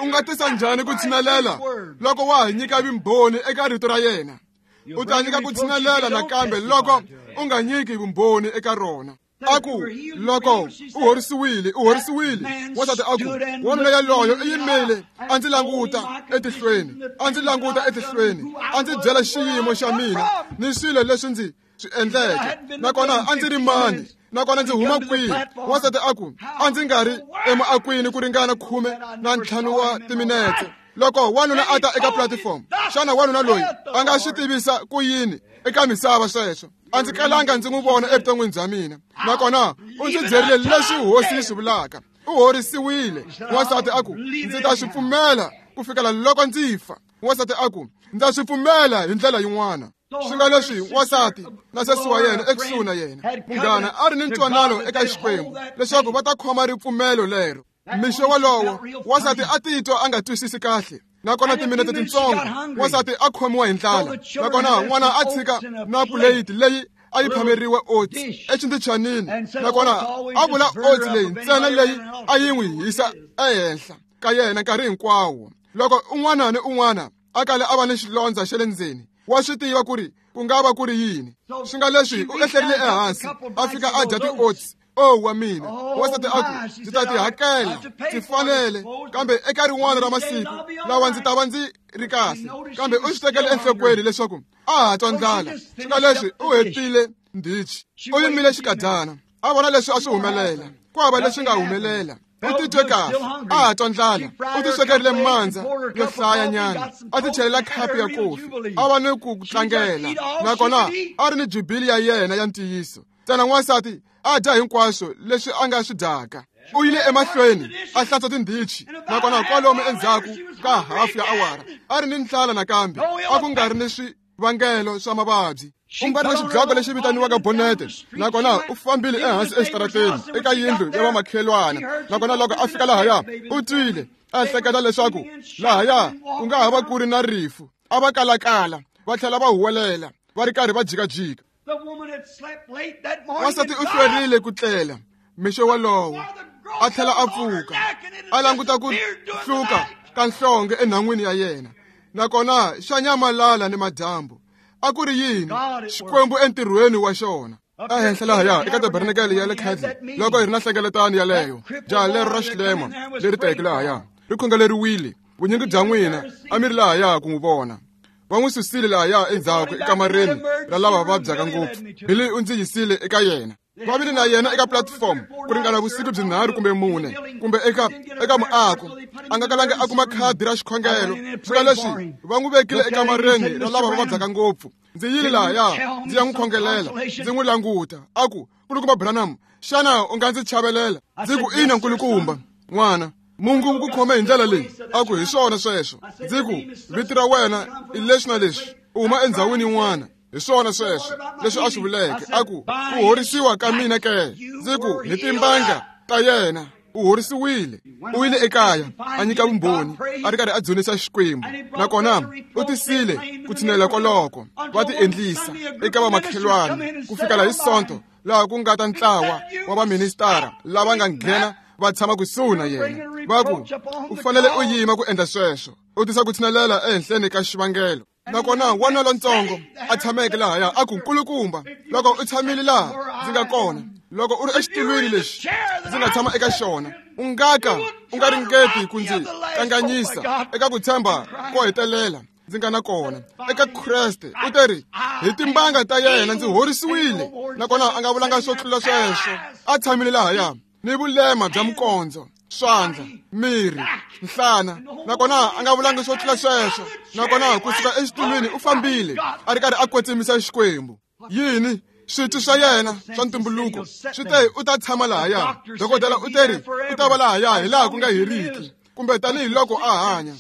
S2: U nga tisa njhani ku tshinelela loko wa ha nyika vumbhoni eka rito ra yena? U ta nyika ku tshinelela nakambe loko u nga nyiki vumbhoni eka rona. A ku loko u horisiwile, u horisiwile. Wansati a ku, wanuna yaloyo i yimile a ndzi languta etihlweni, a ndzi languta etihlweni, a ndzi byela xiyimo xa mina ni swilo leswi ndzi swi endleke, nakona a ndzi ri mani, nakona ndzi huma kwihi. Wansati a ku, a ndzi nga ri emuakwini ku ringana 15 wa timinetse. Loko wanuna a ta eka platform, xana wanuna loyi a nga swi tivisa ku yini eka misava sweswo? A ndzi kalanga ndzi n'wi vona evuton'wini bya mina, nakona u ndzi byerile leswi hosi yi swi vulaka. U horisiwile. Wansati a ku, ndzi ta swi pfumela ku fikela loko ndzi fa. Wansati a ku, ndza swi pfumela hi ndlela yin'wana. Swi nga leswi wansati na sesi wa yena ekusuhi na yena, munghana a ri ni ntwanano eka Xikwembu leswaku va ta khoma ripfumelo lero. Mixo wolowo wansati a titwa a nga twisisi kahle, nakona timinete tintsongo wansati a khomiwa hi ndlala, nakona n'wana a tshika na puleyiti leyi a yi phameriwe oats exindhichanini, nakona a vula oats leyi ntsena leyi a yi n'wi hisa ehenhla ka yena nkarhi hinkwawo. Loko un'wana ni un'wana a kale a va ni xilondza xa le ndzeni, wa swi tiva ku ri ku nga va ku ri yini. Swi nga leswi u ehlerile ehansi a fika a dya ti-oats. Oh wa mina, wansati a ku, ndzi ta ti hakela, ndzi fanele, kambe eka rin'wana ra masiku lawa ndzi ta va ndzi ri kahle. Kambe u swi tekele enhlokweni leswaku a ha twa ndlala. Swi nga leswi u hetile ndhichi, u yimile xikadyana, a vona leswi a swi humelela. Ku hava leswi nga humelela. U titwe kahle, a ha twa ndlala. U ti swekerile mandza yo hlayanyana, a ti chelela khapu ya kofi, a va ni ku tlangela, nakona a ri ni jubili ya yena ya ntiyiso. Ntsena n'wansati a dya hinkwaswo leswi a nga swi dyaka. U yile emahlweni a hlantswa tindhichi, nakona kwalomu endzhaku ka hafu ya awara a ri ni ndlala nakambe, a ku nga ri ni swivangelo swa mavabyi. U mbarile xidloko lexi vitaniwaka bonete, nakona u fambile ehansi exitarateni eka yindlu ya vamakhelwana. Nakona loko a fika lahaya, u twile a ehleketa leswaku lahaya ku nga ha va ku ri na rifu. A va kalakala va tlhela va huwelela va ri karhi va jikajika. Wansati u hlwerile ku tlela mixo wolowo, a tlhela a pfuka a languta ku hluka ka nhlonge enhan'wini ya yena, nakona xa nyamalala ni madyambu. A ku ri yini? Xikwembu entirhweni wa xona. Ehenhla lahaya eka tabernakele ya le Cadle, loko hi ri na nhlengeletano yaleyo, jaha lero ra xilema leri teke lahaya ri khongeleriwile. Vunyingi bya n'wina a mi ri lahaya ku n'wi vona. Va n'wi susile lahaya endzhaku ekamareni ra lava vabyaka ngopfu. Billy u ndzi yisile eka yena. Va vile na yena eka platform ku ringana vusiku byinharhu kumbe mune, kumbe eka muako. A nga kalanga a kuma khadi ra xikhongelo. Swi leswi va n'wi vekile ekamareni ra lava va vabyaka ngopfu. Ndzi yile lahaya ndzi ya n'wi khongelela, ndzi n'wi languta. A ku, Nkulukumba Branham, xana u nga ndzi chavelela? Ndzi ku, ina nkulukumba, n'wana. Mungu wu ku khome hi ndlela leyi. A ku, hi swona sweswo. Ndzi ku, vito ra wena i leswi na leswi, u huma endhawini yin'wana. Hi swona sweswo leswi a swi vuleke. A ku, ku horisiwa ka mina ke? Ndzi ku, hi timbanga ta yena u horisiwile. U yile ekaya a nyika vumbhoni, a ri karhi a dzunisa Xikwembu. Nakona u tisile ku tshinela koloko, va ti endlisa eka vamakhelwani ku fikela hi Sonto, laha ku nga ta ntlawa wa vaministara lava nga nghena va tshama kusuhi na yena. Va ku, u fanele u yima ku endla sweswo, u tisa ku tshinelela ehenhleni ka xivangelo. Nakona n'wana lontsongo a tshameke lahaya a ku, nkulukumba, loko u tshamile laha ndzi nga kona, loko u ri exitulwini lexi ndzi nga tshama eka xona, u nga ka u nga ringeti ku ndzi kanganyisa eka ku tshemba ko hetelela ndzi nga na kona eka Kreste. U teri, hi timbanga ta yena ndzi horisiwile. Nakona a nga vulanga swo tlula sweswo. A tshamile lahaya ni vulema bya mikondzo, swandla, miri, nhlana. Nakona a nga vulangi swo tlula sweswo. Nakona kusuka exitulwini u fambile a ri karhi a kwetsimisa Xikwembu. Yini? Switwi swa yena swa ntumbuluko swi te u ta tshama lahaya. Dokodela u teri u ta va lahaya hi laha ku nga heriki, kumbe tanihiloko a hanya.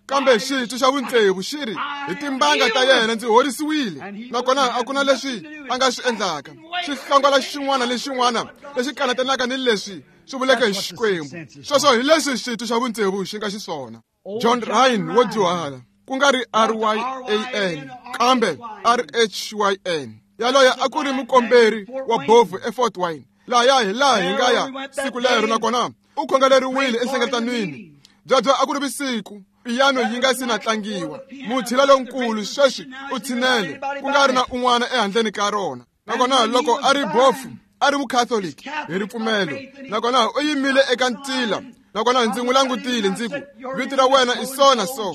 S2: Kambe xitwi xa vutsevu xi ri, hi timbanga ta yena ndzi horisiwile. Nakona a ku na leswi a nga swi endlaka. Xi hlongola xin'wana ni xin'wana lexi kanatanaka ni leswi swi vuleke hi Xikwembu. Sweswo hi leswi xitwi xa vutsevu xi nga xiswona. John Ryan wo dyuhala, ku nga ri R-Y-A-N kambe R-H-Y-N. Yaloye a ku ri mukomberi wa bofu eFort Wayne. Lahaya hi laha hi nga ya siku lero, nakona u khongeleriwile enhlengeletanweni. Byebyo a ku ri vusiku, piyano yi nga si na tlangiwa. Mutshila lonkulu sweswi u tshinele, ku nga ri na un'wana ehandleni ka rona. Nakona loko a ri bofu, a ri mukhatholiki hi ripfumelo. Nakona u yimile eka ntila. Nakona ndzi n'wi langutile, ndzi ku, vito ra wena i so na so,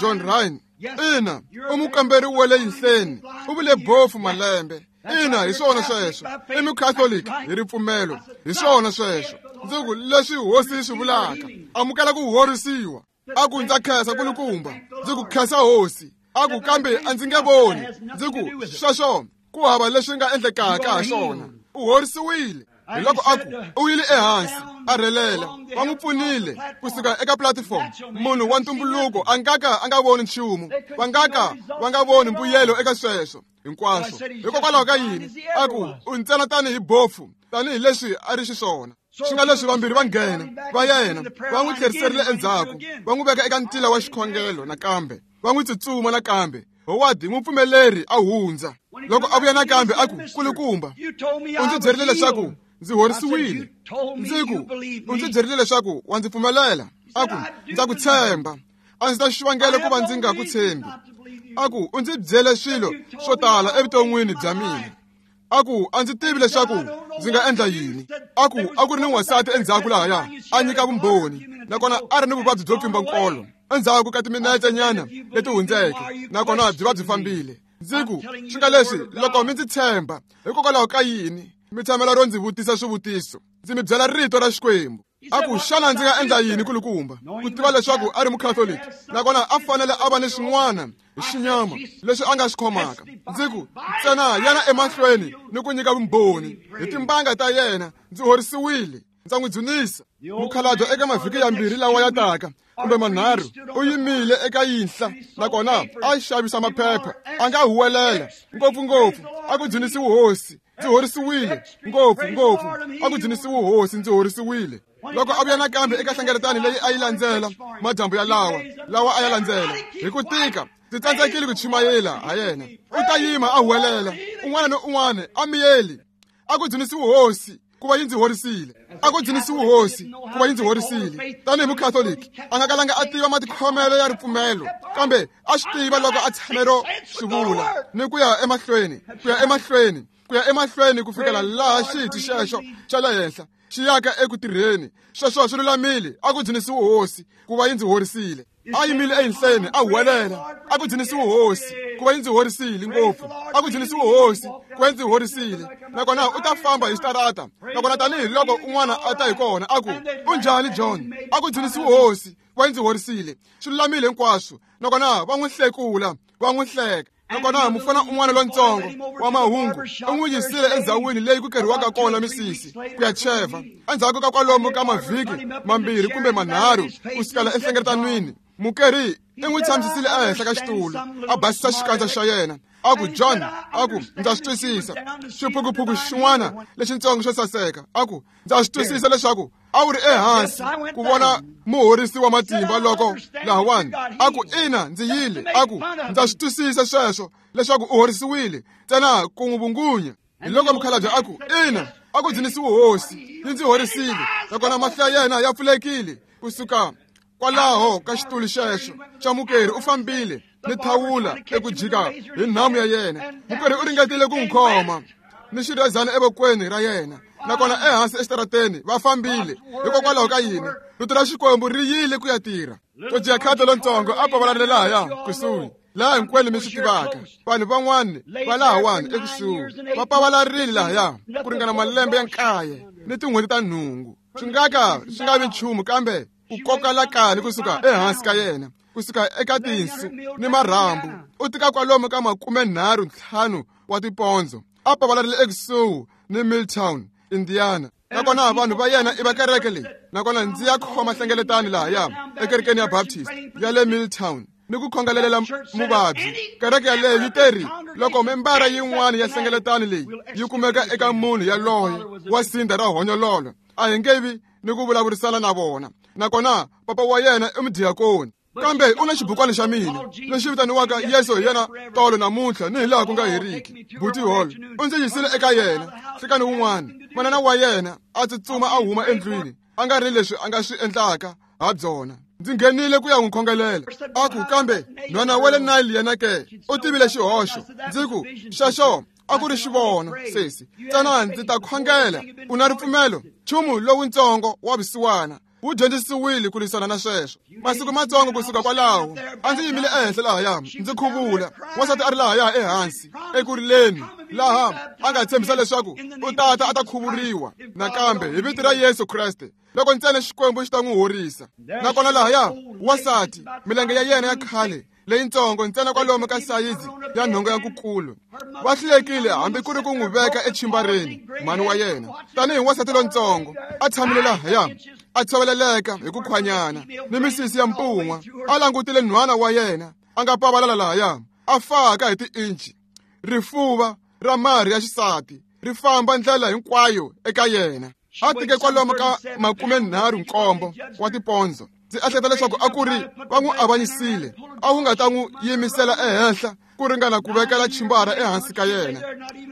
S2: John Ryan. Ina, u mukamberi wa le yinhleni, u vule bofu malembe. Ina, hi swona sweswo. I mukhatholiki hi ripfumelo, hi swona sweswo. Ndzi ku, leswi hosi yi swi vulaka, amukela ku horisiwa. A ku, ndza khensa nkulukumba. Ndzi ku, khensa hosi. A ku, kambe a ndzi nge voni. Ndzi ku, sweswo ku hava leswi nga endlekaka ha swona. U horisiwile. Hi loko a ku, u yile ehansi, a rhelela. Va n'wi pfunile kusuka eka platform. Munhu wa ntumbuluko a nga ka a nga voni nchumu. Va nga ka va nga voni mbuyelo eka sweswo hinkwaswo. Hikokwalaho ka yini? A ku, u ntsena tanihi bofu, tanihileswi a ri xiswona. Swi nga leswi vambirhi va nghena va yena, va n'wi tlheriserile endzhaku, va n'wi veka eka ntila wa xikhongelo nakambe, va n'wi tsutsuma nakambe. Howard n'wi pfumeleri a hundza. Loko a vuya nakambe a ku, nkulukumba, u ndzi byerile leswaku ndzi horisiwile. Ndzi ku, u ndzi byerile leswaku wa ndzi pfumelela. A ku, ndza ku tshemba. A ndzi ta xivangelo ku va ndzi nga ku tshembi. A ku, u ndzi byele swilo swo tala evuton'wini bya mina. A ku, a ndzi tivi leswaku ndzi nga endla yini. A ku, a ku ri ni n'wansati endzhaku lahaya a nyika vumbhoni, nakona a ri ni vuvabyi byo pfimba nkolo endzhaku ka timinetse nyana leti hundzeke, nakona byi va byi fambile. Ndzi ku, swi nga leswi, loko mi ndzi tshemba, hikokwalaho ka yini mi tshamela ro ndzi vutisa swivutiso? Ndzi mi byela rito ra Xikwembu. A ku, xana ndzi nga endla yini kulukumba? Ku tiva leswaku a ri mukhatholiki, nakona a fanele a va ni swin'wana hi xinyama leswi a nga swi khomaka. Ndzi ku, ntsena yana emahlweni ni ku nyika vumbhoni. Hi timbanga ta yena ndzi horisiwile. Ndza n'wi dzunisa. Mukhalabye eka mavhiki yambirhi lawa ya taka kumbe manharhu u yimile eka yinhla, nakona a xavisa maphepha. A nga huwelela ngopfungopfu, a ku dzunisiwe hosi, ndzi horisiwile. Ngopfu ngopfu, a ku dzunisiwe hosi, ndzi horisiwile. Loko a vuya nakambe eka hlengeletano leyi a yi landzela madyambu ya lawa a ya landzela hi ku tika, ndzi tsandzekile ku chumayela ha yena. U ta yima a huwelela, un'wana ni un'wana a miyeli, a ku dzunisiwe hosi ku va yi ndzi horisile. A ku dzunisiwe hosi ku va yi ndzi horisile. Tanihi mukhatholiki, a nga kalanga a tiva matikhomelo ya ripfumelo, kambe a swi tiva loko a tshame ro swi vula ni ku ya emahlweni, ku ya emahlweni. ku ya emahlweni ku fikela laha xiti xexo xa le henhla xi yaka eku tirheni. Sweswo swi lulamile, a ku dzunisiwe hosi ku va yi ndzi horisile. A yimile ehenhleni a huwelela, a ku dzunisiwe hosi ku va yi ndzi horisile ngopfu, a ku dzunisiwe hosi ku va yi ndzi horisile. Nakona u ta famba hi xitarata, nakona tanihiloko un'wana a ta hi kona a ku, u njhani John? A ku dzunisiwe hosi ku va yi ndzi horisile. Swi lulamile hinkwaswo. Nakona va n'wi hlekula, va n'wi hleka. Nakona mufana un'wana lontsongo wa mahungu u n'wi yisile endzhawini leyi ku keriwaka kona misisi ku ya cheva. Endzhaku ka kwalomu ka mavhiki mambirhi kumbe manharhu ku sukela enhlengeletanwini, mukeri i n'wi tshamisisile ehenhla ka xitulu, a basisa xikandza xa yena, a ku, John, a ku, ndza swi twisisa. Xiphukuphuku xin'wana lexitsongo xo saseka, a ku, ndza swi twisisa leswaku a wu ri ehansi ku vona muhorisi wa matimba loko lahawani. A ku, ina, ndzi yile. A ku, ndza swi twisisa sweswo leswaku u horisiwile, ntsena ku n'wi vungunya. Hi loko mukhalabye a ku, ina, a ku dzunisiwe hosi, yi ndzi horisile. Nakona mahlo ya yena ya pfulekile kusuka kwalaho ka xitulu xexo xa mukeri. U fambile ni thawula eku jika hi nhamu ya yena. Mukeri u ringetile ku n'wi khoma ni xirhezana evokweni ra yena, nakona ehansi exitarateni va fambile. Hikokwalaho ka yini? Rito ra Xikwembu ri yile ku ya tirha. Georgia Carter lontsongo a pavalarile lahaya kusuhi, laha hinkwenu mi swi tivaka. Vanhu van'wani va lahawani ekusuhi va pavalarile lahaya ku ringana malembe ya 9 ni tin'hweti ta 8. Swi nga ka swi nga vi nchumu kambe ku koka lakani kusuka ehansi ka yena, kusuka eka tinsu ni marhambu. U tika kwalomu ka 35 wa tipondzo, a pavalarile ekusuhi ni Milltown, Indiana. Nakona vanhu va yena i va kereke leyi. Nakona ndzi ya khoma hlengeletano lahaya ekerekeni ya Baptist ya le Milltown ni ku khongelelela muvabyi. Kereke yaleyo yi teri loko membara yin'wana ya hlengeletano leyi yi kumeka eka munhu yaloye wa sindza ra honyololo, a hi nge vi ni ku vulavurisana na vona. Nakona papa wa yena i mudiakoni, kambe u na xibukwana xa mina lexi vitaniwaka Yesu hi yena tolo namuntlha ni hi laha ku nga heriki. Buti Hall u ndzi yisile eka yena nhlikani wun'wana. Manana wa yena a tsutsuma a huma endlwini, a nga ri leswi a nga swi endlaka ha byona. Ndzi nghenile ku ya n'wi khongelela. A ku, kambe nhwana wa le Nile yena ke u tivile xihoxo. Ndzi ku, xexo a ku ri xivono, sesi. Ntsena ndzi ta khongela. U na ripfumelo. Nchumu lowuntsongo wa vusiwana wu dyondzisiwile ku lwisana na sweswo. Masiku matsongo kusuka kwalaho, a ndzi yimile ehenhla lahaya ndzi khuvula. Wansati a ri lahaya ehansi eku rileni, laha a nga tshembisa leswaku u tata a ta khuvuriwa nakambe hi vito ra Yesu Kreste loko ntsena Xikwembu xi ta n'wi horisa. Nakona lahaya wansati, milenge ya yena ya khale leyintsongo ntsena kwalomu ka sayizi ya nhonga ya nkukulu, va hlulekile hambi ku ri ku n'wi veka echimbareni. Mhani wa yena tanihi wansati lontsongo a tshamile lahaya a tshoveleleka hi ku khwanyana ni misisi ya mpun'wa, a langutile nhwana wa yena a nga pavalala lahaya a faka hi tiinchi. Rifuva ra marhi ya xisati ri famba ndlela hinkwayo eka yena. A tike kwalomu ka 37 wa tipondzo. Ndzi ehleketa leswaku a ku ri va n'wi avanyisile, a wu nga ta n'wi yimisela ehenhla ku ringana ku vekela chimbara ehansi ka yena.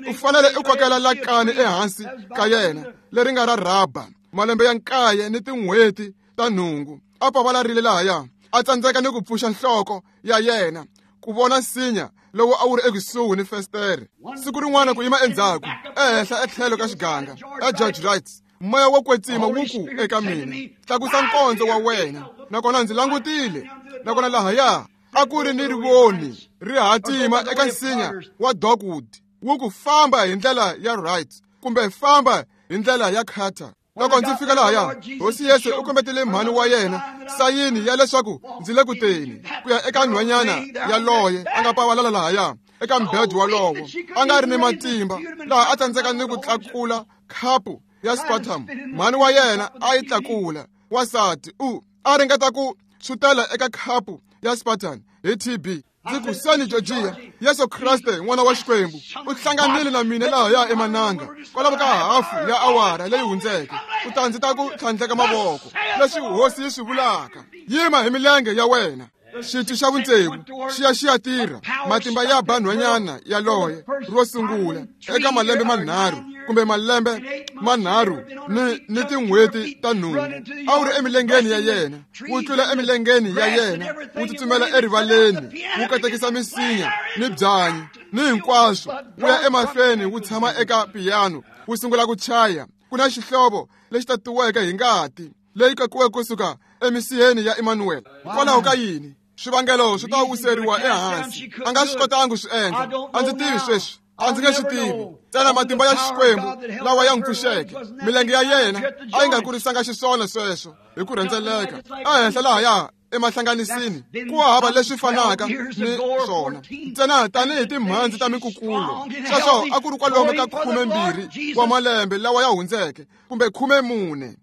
S2: U fanele u kokela lakani ehansi ka yena leri nga ra rhaba malembe ya 9 ni tin'hweti ta 8. A pavalarile lahaya, a tsandzeka ni ku pfuxa nhloko ya yena ku vona nsinya lowu a wu ri ekusuhi ni festere. Siku rin'wana ku yima endzhaku ehenhla etlhelo ka xiganga ya George Wright, moya wo kwetsima wu ku eka mina, tlakusa nkondzo wa wena. Nakona ndzi langutile, nakona lahaya a ku ri ni rivoni ri hatima eka nsinya wa dogwood, wu ku famba hi ndlela ya Wright kumbe famba hi ndlela ya Carter. Loko ndzi fika lahaya, Hosi Yesu u kombetele mhani wa yena sayini ya leswaku ndzi le ku teni ku ya eka nhwanyana yaloye a nga pavalala lahaya eka mbhedu walowo, a nga ri ni matimba, laha a tsandzeka ni ku tlakula khapu ya sputum. Mhani wa yena a yi tlakula. Wansati u a ringeta ku tshutela eka khapu ya sputum hi TB. Ndzi ku, seni Georgia, Yesu Kreste n'wana wa Xikwembu u hlanganile na mina lahaya emananga kwalomu ka hafu ya awara leyi hundzeke. U ta ndzi ta ku tlhandleka mavoko, leswi hosi yi swi vulaka, yima hi milenge ya wena. Xiti xa vutsevu xi ya xi ya tirha. Matimba ya ba nhwanyana yaloye ro sungula eka malembe manharhu kumbe malembe manharhu ni tin'hweti ta 8 a wu ri emilengeni ya yena, wu tlula emilengeni ya yena, wu tsutsumela erivaleni, wu katekisa misinya ni byanyi. ni hinkwaswo wu ya emahlweni wu tshama eka piyano wu sungula ku chaya. Ku na xihlovo lexi tatiweke hi ngati leyi kakiweke kusuka emisiheni ya Emmanuel. Hikwalaho ka yini? Swivangelo swi ta wiseriwa ehansi. A nga swi kotangi swi endla. A ndzi tivi sweswi, a ndzi nge swi tivi. Ntsena matimba ya Xikwembu lawa ya n'wi pfuxeke. Milenge ya yena a yi nga kurisanga xiswona sweswo hi ku rhendzeleka ehenhla lahaya emahlanganisini ku hava leswi fanaka ni swona, ntsena tanihi timhandzi ta minkukulo. Sweswo a ku ri kwalomu ka 12 wa malembe lawa ya hundzeke, kumbe 14.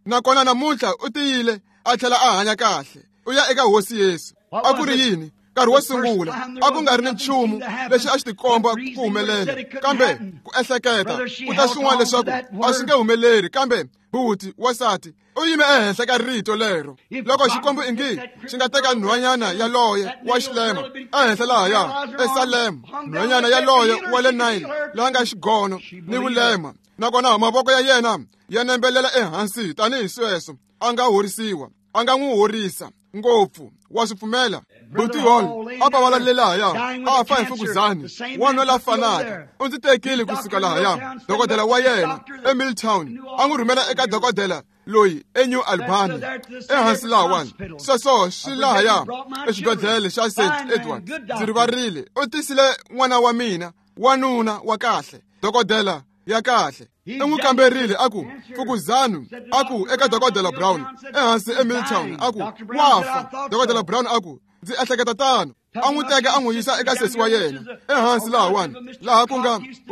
S2: Nakona namuntlha u tiyile a tlhela a hanya kahle. U ya eka Hosi Yesu. A ku ri yini? Nkarhi wo sungula a ku nga ri ni nchumu lexi a xi tikomba ku humelela, kambe ku ehleketa ku ta swin'wana leswaku a swi nge humeleri. Kambe buti wasati u yime ehenhla ka rito lero. Loko Xikwembu ingi xi nga teka nhwanyana yaloye wa xilema ehenhla lahaya eSalem, nhwanyana yaloye wa le Nile laha nga xigono ni vulema, nakona mavoko ya yena ya nembelela ehansi tanihi sweswo, a nga horisiwa, a nga n'wi horisa ngopfu. Wa swi pfumela? Buti Hall a pavalale lahaya a fa hi mfukuzani, wanuna la fanaka u ndzi tekile kusuka lahaya. Dokodela wa yena eMilltown a n'wi rhumela eka dokodela loyi eNew Albany ehansi lahawani. Sweswo swi lahaya exibedhlele xa St Edward. Ndzi rivarile. U tisile n'wana wa mina, wanuna wa kahle, dokodela ya kahle. I n'wi kamberile a ku mfukuzani, a ku eka dokodela Brown ehansi eMilltown, a ku wa fa. Dokodela Brown a ku ndzi ehleketa tano. A n'wi teka a n'wi yisa eka sesi wa yena ehansi lahawani, laha ku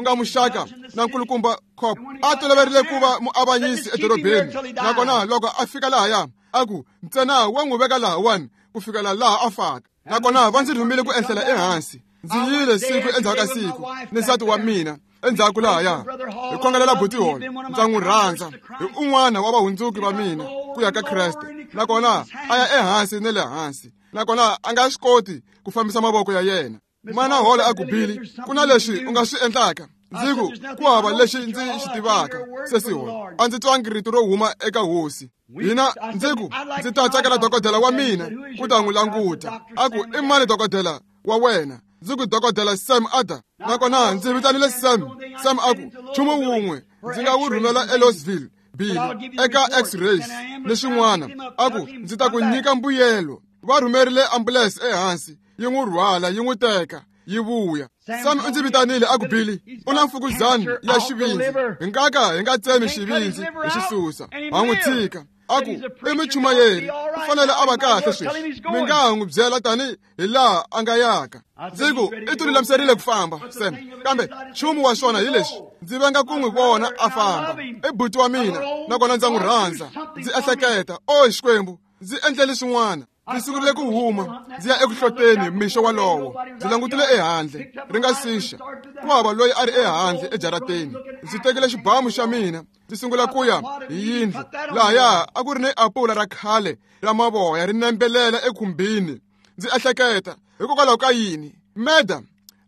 S2: nga muxaka na nkulukumba Cop a toloverile ku va muavanyisi edorobeni. Nakona loko a fika lahaya a ku ntsena wa n'wi veka lahawani ku fikela laha a faka. Nakona va ndzi rhumile ku ehlela ehansi. Ndzi yile siku endzhaku ka siku ni nsati wa mina endzhaku lahaya hi khongelela buti Hall. Ndza n'wi rhandza, hi un'wana wa vahundzuki va mina ku ya ka Kreste. Nakona a ya ehansi ni le hansi, nakona a nga swi koti ku fambisa mavoko ya yena. Mana Hall a ku, Billy, ku na leswi u nga swi endlaka. Ndzi ku, ku hava lexi ndzi xi tivaka, sesi Hall. A ndzi twangi rito ro huma eka Hosi. Hina ndzi ku, ndzi ta tsakela dokodela wa mina ku ta n'wi languta. A ku, i mani dokodela wa wena? Ndzi ku, dokodela Sam Ada. Nakona ndzi vitanile Sam. Sam a ku, nchumu wun'we ndzi nga wu rhumela eLouisville, Billy, eka X-rays ni swin'wana. A ku, ndzi ta ku nyika mbuyelo. Va rhumerile ambulense ehansi, yi n'wi rhwala, yi n'wi teka, yi vuya. Sam u ndzi vitanile a ku, Billy, u na mfukuzani ya xivindzi. Hi nga ka hi nga tsemi xivindzi hi xi susa, ha n'wi tshika. A ku, i muchumayeri, u fanele a va kahle sweswi. Mi nga ha n'wi byela tani hi laha a nga yaka. Ndzi ku, i tilulamiserile ku famba, Sam. Kambe nchumu wa swona hi leswi, ndzi venga ku n'wi vona a famba. I buti wa mina, nakona ndza n'wi rhandza. Ndzi ehleketa, o Xikwembu, ndzi endlele swin'wana. Ndzi sungurile ku huma ndzi ya eku hloteni mixo walowo. Ndzi langutile ehandle ri nga sixa, ku hava loyi a ri ehandle ejarateni. Ndzi tekile xibamu xa mina ndzi sungula ku ya hi yindlu. Lahaya a ku ri ni apula ra khale ra mavoya ri nembelela ekhumbini. Ndzi ehleketa, hikokwalaho ka yini Meda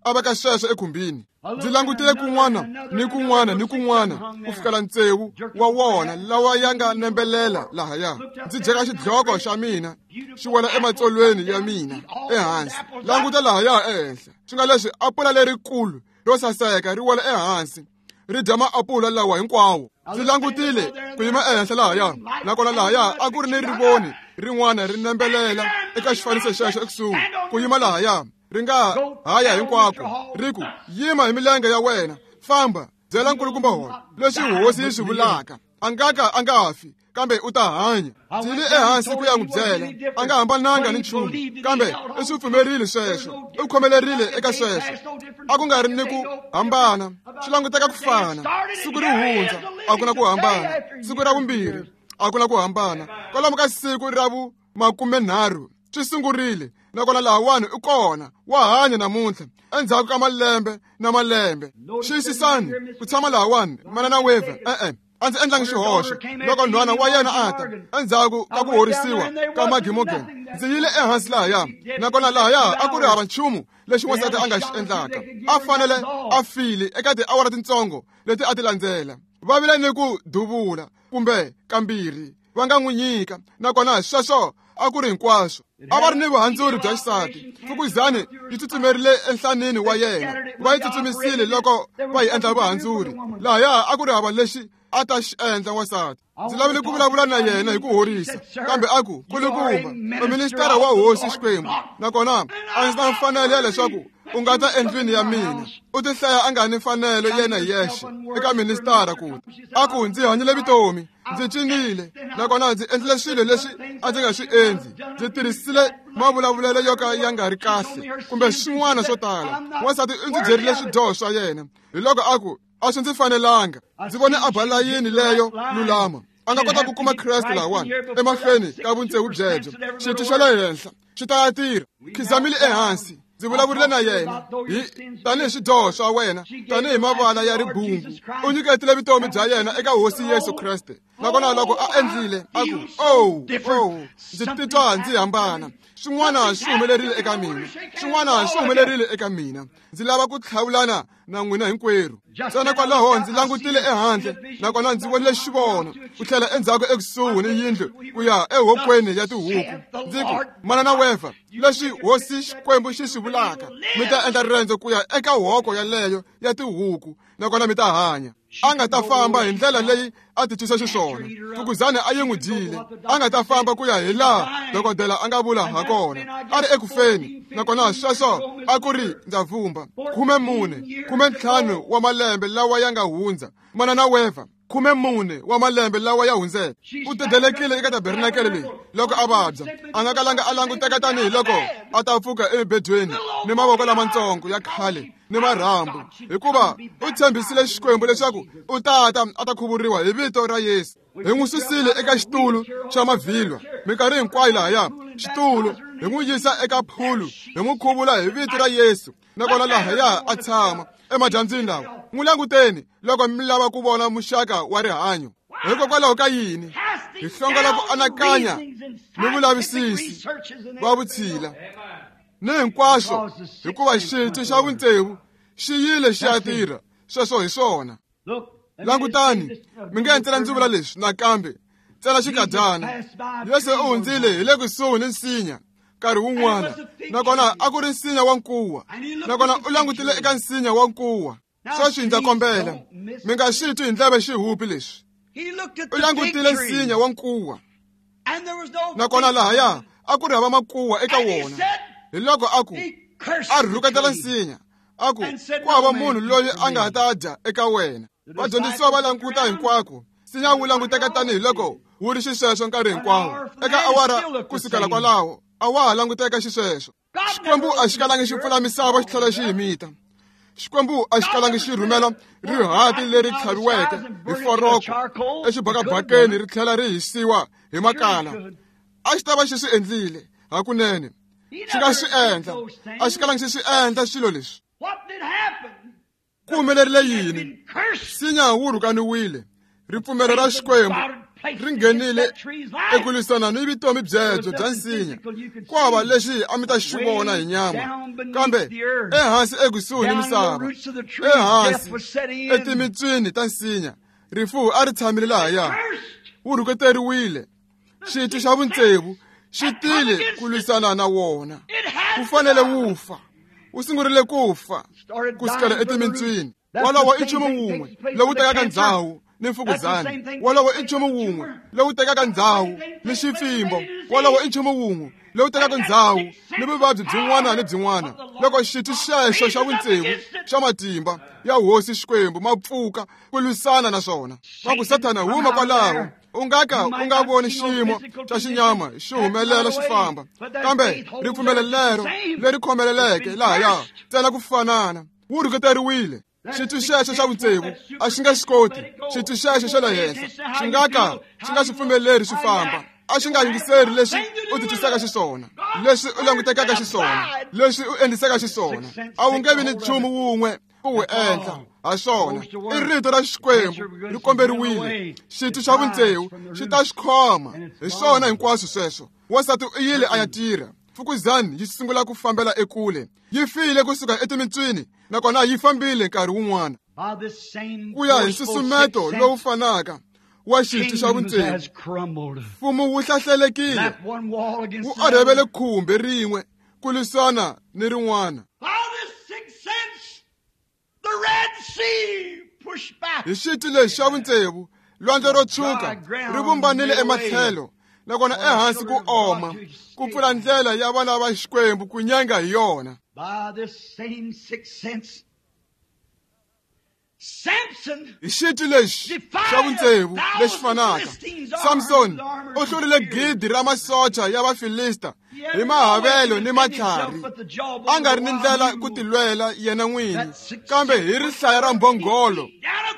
S2: a veka sweswo ekhumbini? Ndzi langutile kun'wana ni kun'wana ni kun'wana ku fikela tsevu wa wona lawa ya nga nembelela lahaya. Ndzi jeka xidloko xa mina xi wela ematsolweni ya mina ehansi. Languta lahaya ehenhla, swi nga leswi apula lerikulu ro saseka ri wela ehansi, ri dya maapula lawa hinkwawo. Ndzi langutile ku yima ehenhla lahaya, nakona lahaya a ku ri ni rivoni rin'wana ri nembelela eka xifaniso xexo ekusuhi. Ku yima lahaya ri nga haya hinkwako, ri ku, yima hi milenge ya wena, famba, byela nkulukumba Hall leswi Hosi yi swi vulaka. A nga ka a nga fi, kambe u ta hanya. Ndzi yile ehansi ku ya n'wi byela, a nga hambananga ni nchumu, kambe i swi pfumerile sweswo, u khomelerile eka sweswo. A ku nga ri ni ku hambana, swi languteka ku fana. Siku ri hundza, a ku na ku hambana. Siku ra vumbirhi, a ku na ku hambana. Kwalomu ka siku ra vu 30 swi sungurile, nakona lahawani u kona, wa hanya namuntlha endzhaku ka malembe na malembe. Xiyisisani ku tshama lahawani, manana Weaver, e-e, a ndzi endlangi xihoxo. Loko nhwana wa yena a ta endzhaku ka ku horisiwa ka Maggie Morgan, ndzi yile ehansi lahaya, nakona lahaya a ku ri hava nchumu lexi wansati a nga xi endlaka. A fanele a file eka tiawara tintsongo leti a ti landzela. Va vile ni ku duvula kumbe kambirhi va nga n'wi nyika, nakona sweswo A ku ri hinkwaswo. A va ri ni vuhandzuri bya xisati. Fukuzani yi tsutsumerile enhlanini wa yena. Va yi tsutsumisile loko va yi endla vuhandzuri. Lahaya a ku ri hava lexi a ta xi endla wansati. Ndzi lavile ku vulavula na yena hi ku horisa, kambe a ku kulukumba u ministara wa hosi Xikwembu, nakona a ndzi na mfanelo ya leswaku u nga ta endlwini ya mina. U tihlaya a nga ni mfanelo yena hi yexe eka ministara ku ta. A ku ndzi hanyile vutomi, ndzi cinile, nakona ndzi endlile swilo leswi a ndzi nga swi endli. Ndzi tirhisile mavulavulelo yo ka ya nga ri kahle kumbe swin'wana swo tala. Wansati u ndzi byerile swidyoho swa yena. Hi loko a ku a swi ndzi fanelanga. Ndzi vone a ba layini leyo lulama. A nga kota ku kuma Kreste lahawani emahlweni ka vuntsevu byebyo. Xitwi xa le henhla xi ta ya tirha. Khizamile ehansi. Ndzi vulavurile na yena hi tanihi swidyoho swa wena, tanihi mavala ya ribungu. U nyiketile vutomi bya yena eka Hosi Yesu Kreste. Nakona loko a endlile, a ku, "Oh, oh, ndzi titwa ndzi hambana. Swin'wana swi humelerile eka mina. Swin'wana swi humelerile eka mina. Ndzi lava ku tlhavulana na n'wina hinkwerhu." Ntsena kwalaho ndzi langutile ehandle, nakona ndzi vonile xivono ku tlhela endzhaku ekusuhi ni yindlu ku ya ehokweni ya tihuku. Ndzi ku, "Manana Wefa, leswi Hosi Xikwembu xi swi vulaka, mi ta endla riendzo ku ya eka hoko yaleyo ya tihuku, nakona mi ta hanya." A nga ta famba hi ndlela leyi a titwisa xiswona. Fukuzani a yi n'wi dyile. A nga ta famba ku ya hi laha dokodela a nga vula ha kona. A ri ekufeni, nakona sweswo a ku ri ndza vumba 14, 15 wa malembe lawa ya nga hundza. Manana Wefa, 14 wa malembe lawa ya hundzeke, u dedelekile eka tabernakele leyi loko a vabya. A nga kalanga a languteka tanihi loko a ta pfuka emibedweni ni mavoko lamatsongo ya khale ni marhambu, hikuva u tshembisile Xikwembu leswaku u tata a ta khuvuriwa hi vito ra Yesu. Hi n'wi susile eka xitulu xa mavhilwa minkarhi hinkwayo lahaya xitulu, hi n'wi yisa eka phulu, hi n'wi khuvula hi vito ra Yesu, nakona lahaya a tshama emadyambyini lawa. N'wi languteni loko mi lava ku vona muxaka wa rihanyo. Hikokwalaho ka yini hi hlongola ku anakanya ni vulavisisi va vutshila ni hinkwaswo, hikuva xitwi xa vuntsevu xi yile xi ya tirha. Sweswo hi swona. Langutani, mi nge ntsena ndzi vula leswi nakambe, ntsena xikadyana. Yesu u hundzile hi le kusuhi ni nsinya nkarhi wun'wana, nakona a ku ri nsinya wa nkuwa, nakona u langutile eka nsinya wa nkuwa. Sweswi ndza kombela mi nga swi twi hi ndleve xihupi leswi. U langutile nsinya wa nkuwa, nakona lahaya a ku ri hava makuwa eka wona. Hi loko a ku a rhuketela nsinya, a ku ku hava munhu loyi a nga ta dya eka wena. Vadyondzisiwa va languta hinkwako. Nsinya wu languteka tanihi loko wu ri xisweswo nkarhi hinkwawo. Eka awara ku sukela kwalaho a wa ha languteka xisweswo. Xikwembu a xi kalangi xi pfula misava xi tlhela xi yi mita. Xikwembu a xi kalangi xi rhumela rihati leri tlhaviweke hi foroko exibakabakeni ri tlhela ri hisiwa hi makala. A xi ta va xi swi endlile hakunene. Xi nga swi endla. A xi kalangi xi swi endla swilo leswi. Ku humelerile yini? Nsinya wu rhukaniwile. Ripfumelo ra Xikwembu ri nghenile eku lwisana ni vutomi byebyo bya nsinya. Ku hava lexi a mi ta xi vona hi nyama, kambe ehansi ekusuhi ni misava, ehansi etimitswini ta nsinya, rifu a ri tshamile lahaya. Wu rhuketeriwile. Xitwi xa vuntsevu xi tile ku lwisana na wona. Wu fanele wu fa. Wu sungurile ku fa ku sukela etimitswini. Wolowo i nchumu wun'we lowu tekaka ndzhawu ni mfukuzani. Wolowo i nchumu wun'we lowu tekaka ndzhawu ni xipfimbo. Wolowo i nchumu wun'we lowu tekaka ndzhawu ni vuvabyi byin'wana ni byin'wana. Loko xitwi xexo xa vuntsevu xa matimba ya Hosi Xikwembu ma pfuka ku lwisana na swona, va ku Sathana huma kwalaho. U nga ka u nga voni xiyimo xa xinyama xi humelela xi famba, kambe ripfumelo lero leri khomeleleke lahaya ntsena ku fanana wu rhuketeriwile. Xitwi xexo xa vutsevu a xi nga xi koti. Xitwi xexo xa le henhla xi nga ka xi nga swi pfumeleri swi famba. A xi nga yingiseri leswi u titwisaka xiswona, leswi u langutekaka xiswona, leswi u endlisaka xiswona. A wu nge vi ni nchumu wun'we ku wu endla ha swona. I rito ra Xikwembu ri komberiwile. Xitwi xa vuntsevu xi ta xi khoma. Hi swona hinkwaswo sweswo. Wansati u yile a ya tirha. Fukuzani yi sungula ku fambela ekule. Yi file kusuka etimitswini, nakona yi fambile nkarhi wun'wana. Ku ya hi nsusumeto lowu fanaka wa xitwi xa vutsevu, mfumo wu hlahlelekile, wu orhevele khumbi rin'we ku lwisana ni rin'wana. Hi xitwi lexi xa vutsevu, lwandle ro tshuka ri vumbanile ematlhelo, nakona ehansi ku oma, ku pfula ndlela ya vana va Xikwembu ku nyenga hi yona. Hi xitwi lexi xa vutsevu lexi fanaka, Samson u hlurile 1,000 ra masocha ya Vafilista hi mahavelo ni matlhari, a nga ri ni ndlela ku tilwela yena n'wini, kambe hi rihlaya ra mbhongolo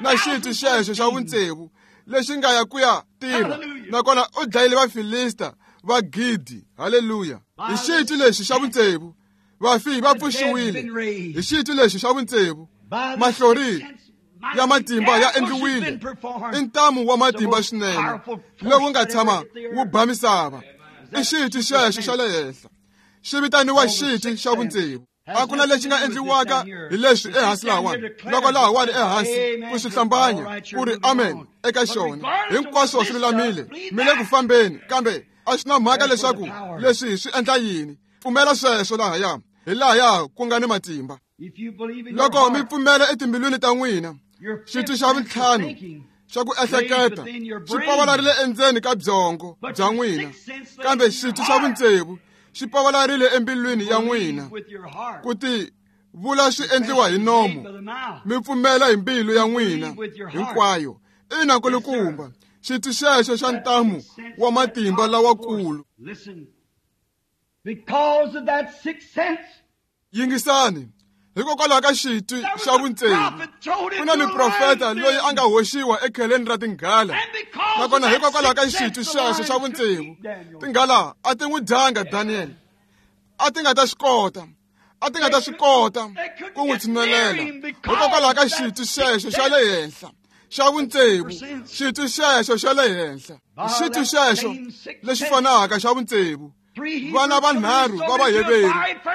S2: na xitwi xexo xa vutsevu lexi nga ya ku ya tirha, nakona u dlayile Vafilista va 1,000. Haleluya! Hi xitwi lexi xa vutsevu, vafi va pfuxiwile. Hi xitwi lexi xa vutsevu, mahlori ya matimba ya endliwile. I ntamu wa matimba swinene lowu nga tshama wu ba misava. I xitwi xexo xa le henhla, xi vitaniwa xitwi xa vutsevu. A ku na lexi nga endliwaka hi leswi ehansi lahawani. Loko lahawani ehansi ku swi hlambanya ku ri amen eka xona, hinkwaswo swi lulamile, mi le ku fambeni, kambe a swi na mhaka leswaku leswi swi endla yini. Pfumela sweswo lahaya, hi lahaya ku nga ni matimba. Loko mi pfumela etimbilwini ta n'wina, xitwi xa vuntlhanu xa ku ehleketa xi pavalarile endzeni ka byongo bya n'wina, kambe xitwi xa vutsevu xi pavalarile embilwini ya n'wina. Ku ti vula swi endliwa hi nomu, mi pfumela hi mbilu ya n'wina hinkwayo. Ina nkulukumba, xitwi xexo xa ntamu wa matimba lawakulu. Yingisani, hikokwalaho ka xitwi xa vutsevu, ku na miprofeta loyi a nga hoxiwa ekheleni ra tinghala, nakona hikokwalaho ka xitwi xexo xa vutsevu, tinghala a ti n'wi dyanga Daniel. A ti nga ta swi kota, a ti nga ta swi kota ku n'wi tshinelela, hikokwalaho ka xitwi xexo xa le henhla xa vutsevu, xitwi xexo xa le henhla, xitwi xexo lexi fanaka xa vutsevu. Vana vanharhu va Vaheveru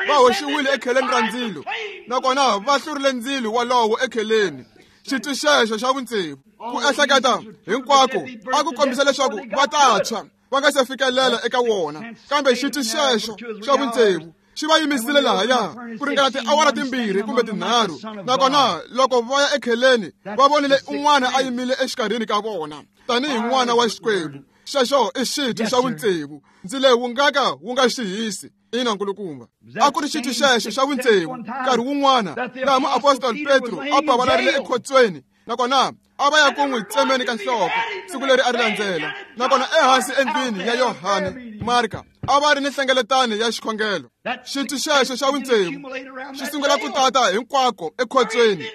S2: va hoxiwile ekheleni ra ndzilo, nakona va hlurile ndzilo walowo ekheleni. Xitwi xexo xa vutsevu, ku ehleketa hinkwako a ku kombisa leswaku va ta tshwa va nga se fikelela eka wona, kambe xitwi xexo xa vutsevu xi va yimisile lahaya ku ringana tiawara 2 kumbe 3, nakona loko va ya ekheleni va vonile un'wana a yimile exikarhini ka vona tanihi n'wana wa Xikwembu. Xexo i xitwi xa vutsevu, ndzilo wu nga ka wu nga xi hisi. Ina nkulukumba, a ku ri xitwi xexo xa vutsevu nkarhi wun'wana laha muapostoli Petro a pavalarile ekhotsweni, nakona a va ya ku n'wi tsemeni ka nhloko siku leri a ri landzela, nakona ehansi endlwini ya Yohane Marka a va ri ni nhlengeletano ya xikhongelo. Xitwi xexo xa vutsevu xi sungula ku tata hinkwako ekhotsweni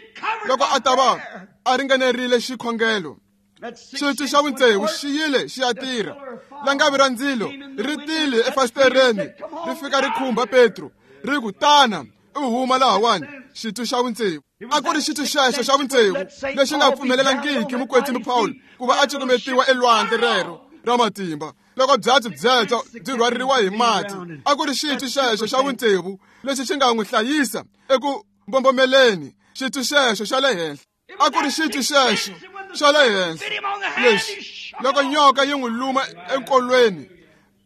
S2: loko a ta va a ringanerile xikhongelo. Xitwi xa vutsevu xi yile xi ya tirha. Langavi ra ndzilo ri tile efasitereni, ri fika ri khumba Petro, ri ku, "Tana u huma lahawani." Xitwi xa vutsevu a ku ri xitwi xexo xa vutsevu lexi nga pfumelelangiki mukwetsimi Paul ku va a cukumetiwa elwandle rero ra matimba loko byatso byebyo byi rhwaririwa hi mati. A ku ri xitwi xexo xa vutsevu lexi xi nga n'wi hlayisa eku mbombomeleni. Xitwi xexo xa le henhla a ku ri xitwi xexo xa le henhla lexi loko nyoka yi n'wi luma enkolweni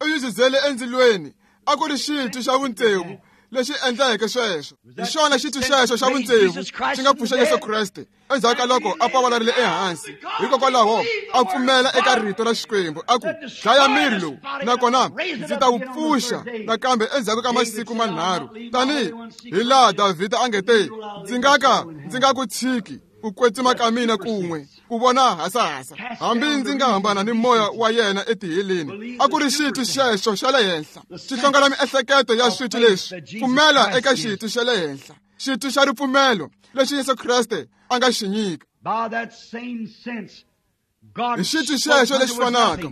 S2: u yi zizele endzilweni. A ku ri xitwi xa vutsevu lexi endleke sweswo. Hi xona xitwi xexo xa vutsevu xi nga pfuxa Yesu Kreste endzhaku ka loko a pavalarile ehansi. Hikokwalaho a pfumela eka rito ra Xikwembu, a ku, "Dlaya miri lowu, nakona ndzi ta wu pfuxa nakambe endzhaku ka masiku manharhu," tanihi hi laha Davhida a nge te, "Ndzi nga ka ndzi nga ku tshiki ku kwetsima ka mina kun'we ku vona hasahasa, hambi ndzi nga hambana ni moya wa yena etiheleni." A ku ri xitwi xexo xa le henhla xi hlongela miehleketo ya switwi leswi. Pfumela eka xitwi xa le henhla, xitwi xa ripfumelo lexi Yesu Kreste a nga xi nyika. Hi xitwi xexo lexi fanaka,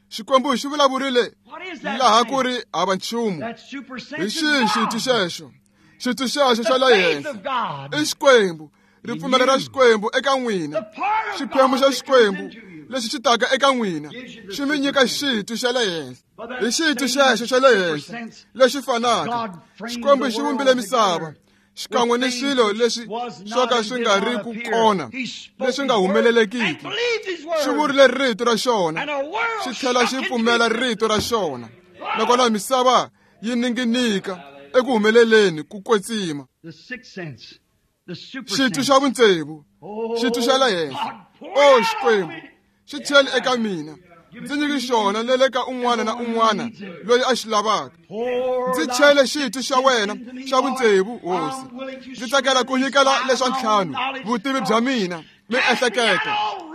S2: Xikwembu xi vulavurile laha ku ri hava nchumu. Hi xihi xitwi xexo? Xitwi xexo xa le henhla i Xikwembu, ripfumelo ra Xikwembu eka n'wina. Xiphemu xa Xikwembu lexi xi taka eka n'wina xi mi nyika xitwi xa le henhla. Hi xitwi xexo xa le henhla lexi fanaka, Xikwembu xi vumbile misava, xikan'we ni swilo leswi swo ka swi nga ri ku kona leswi nga humelelekiki. Xi vurile rito ra xona, xi tlhela xi pfumela rito ra xona, nakona misava yi ninginika eku humeleleni ku kwetsima. Xitwi xa vutsevu, xitwi xa le henhla, o Xikwembu, xi cheli eka mina. Ndzi nyiki xona le le ka un'wana na un'wana loyi a xi lavaka. Ndzi chele xitwi xa wena xa vutsevu, Hosi. Ndzi tsakela ku nyikela leswa ntlhanu, vutivi bya mina, miehleketo.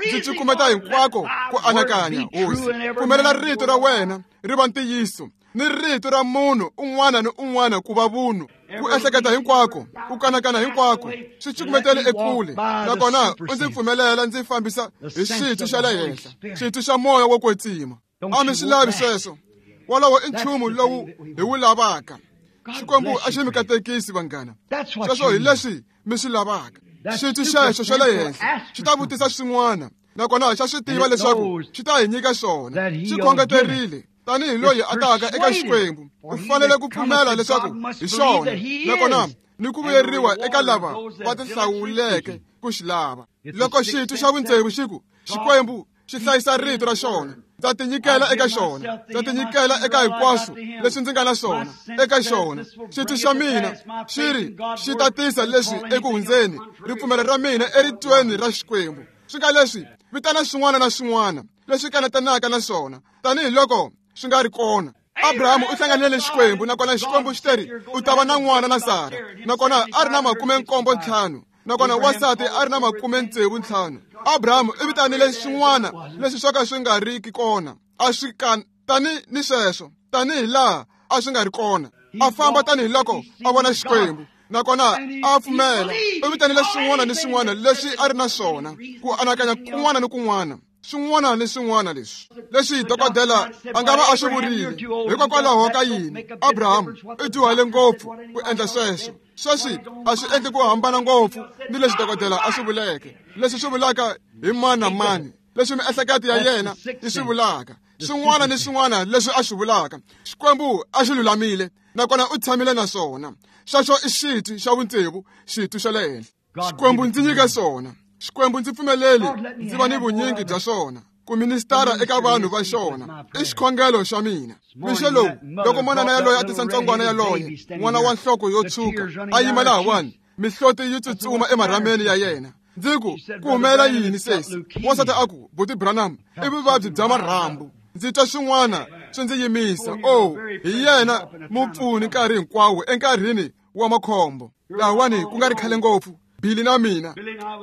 S2: Ndzi cukumeta hinkwako ku anakanya, Hosi. Pfumelela rito ra wena ri va ntiyiso, ni rito ra munhu un'wana ni un'wana ku va vunhu. Ku ehleketa hinkwako, ku kanakana hinkwako, swi cukumetele ekule, nakona u ndzi pfumelela ndzi fambisa hi xitwi xa le henhla, xitwi xa moya wo kwetsima. A mi swi lavi sweswo? Wolowo i nchumu lowu hi wu lavaka. Xikwembu a xi mi katekisi, vanghana. Sweswo hi leswi mi swi lavaka. Xitwi xexo xa le henhla xi ta vutisa swin'wana, nakona xa swi tiva leswaku xi ta hi nyika swona. Xi khongeterile tanihi loyi a taka eka Xikwembu, u fanele ku pfumela leswaku hi xona, nakona ni ku vuyeriwa eka lava va tihlawuleke ku xi lava. Loko xitwi xa vutsevu xi ku, Xikwembu xi hlayisa rito ra xona, ndza tinyikela eka xona, ndza tinyikela eka hinkwaswo leswi ndzi nga na swona eka xona. Xitwi xa mina xi ri xi ta tisa leswi eku hundzeni, ripfumelo ra mina eritweni ra Xikwembu. Swi nga leswi vitana swin'wana na swin'wana leswi kanetanaka na swona tanihiloko swi nga ri kona. Abrahamu u hlanganile ni Xikwembu, nakona Xikwembu xi teri u ta va na n'wana na Sara, nakona a ri na 75, nakona wansati a ri na 65. Abrahamu u vitanile swin'wana leswi swo ka swi nga riki kona, a swi tani ni sweswo, tanihi laha a swi nga ri kona. A famba tanihiloko a vona Xikwembu, nakona a pfumela. U vitanile swin'wana ni swin'wana leswi a ri na swona, ku anakanya kun'wana ni kun'wana, swin'wana ni swin'wana leswi dokodela a nga va a swi vurile. Hikokwalaho ka yini Abrahamu u dyuhale ngopfu ku endla sweswo? Sweswi a swi endli ku hambana ngopfu ni leswi dokodela a swi vuleke, leswi swi vulaka hi mani na mani, leswi miehleketo ya yena yi swi vulaka, swin'wana ni swin'wana leswi a swi vulaka. Xikwembu a xi lulamile, nakona u tshamile na swona. Sweswo i xitwi xa vutsevu, xitwi xa le henhla. Xikwembu ndzi nyike swona. Xikwembu ndzi pfumeleli ndzi va ni vunyingi bya swona ku ministara eka vanhu va xona. I xikhongelo xa mina. Mixo lowu, loko manana yaloye a tisa ntsongwana yaloye, n'wana wa nhloko yo tshuka, a yima lahawani, mihloti yi tsutsuma emarhameni ya yena. Ndzi ku, ku humelela yini sesi? Wansati a ku, Buti Branham, i vuvabyi bya marhambu. Ndzi twa swin'wana swi ndzi yimisa. Oh, hi yena mupfuni nkarhi hinkwawo enkarhini wa makhombo. Lahawani ku nga ri khale ngopfu, Billy na mina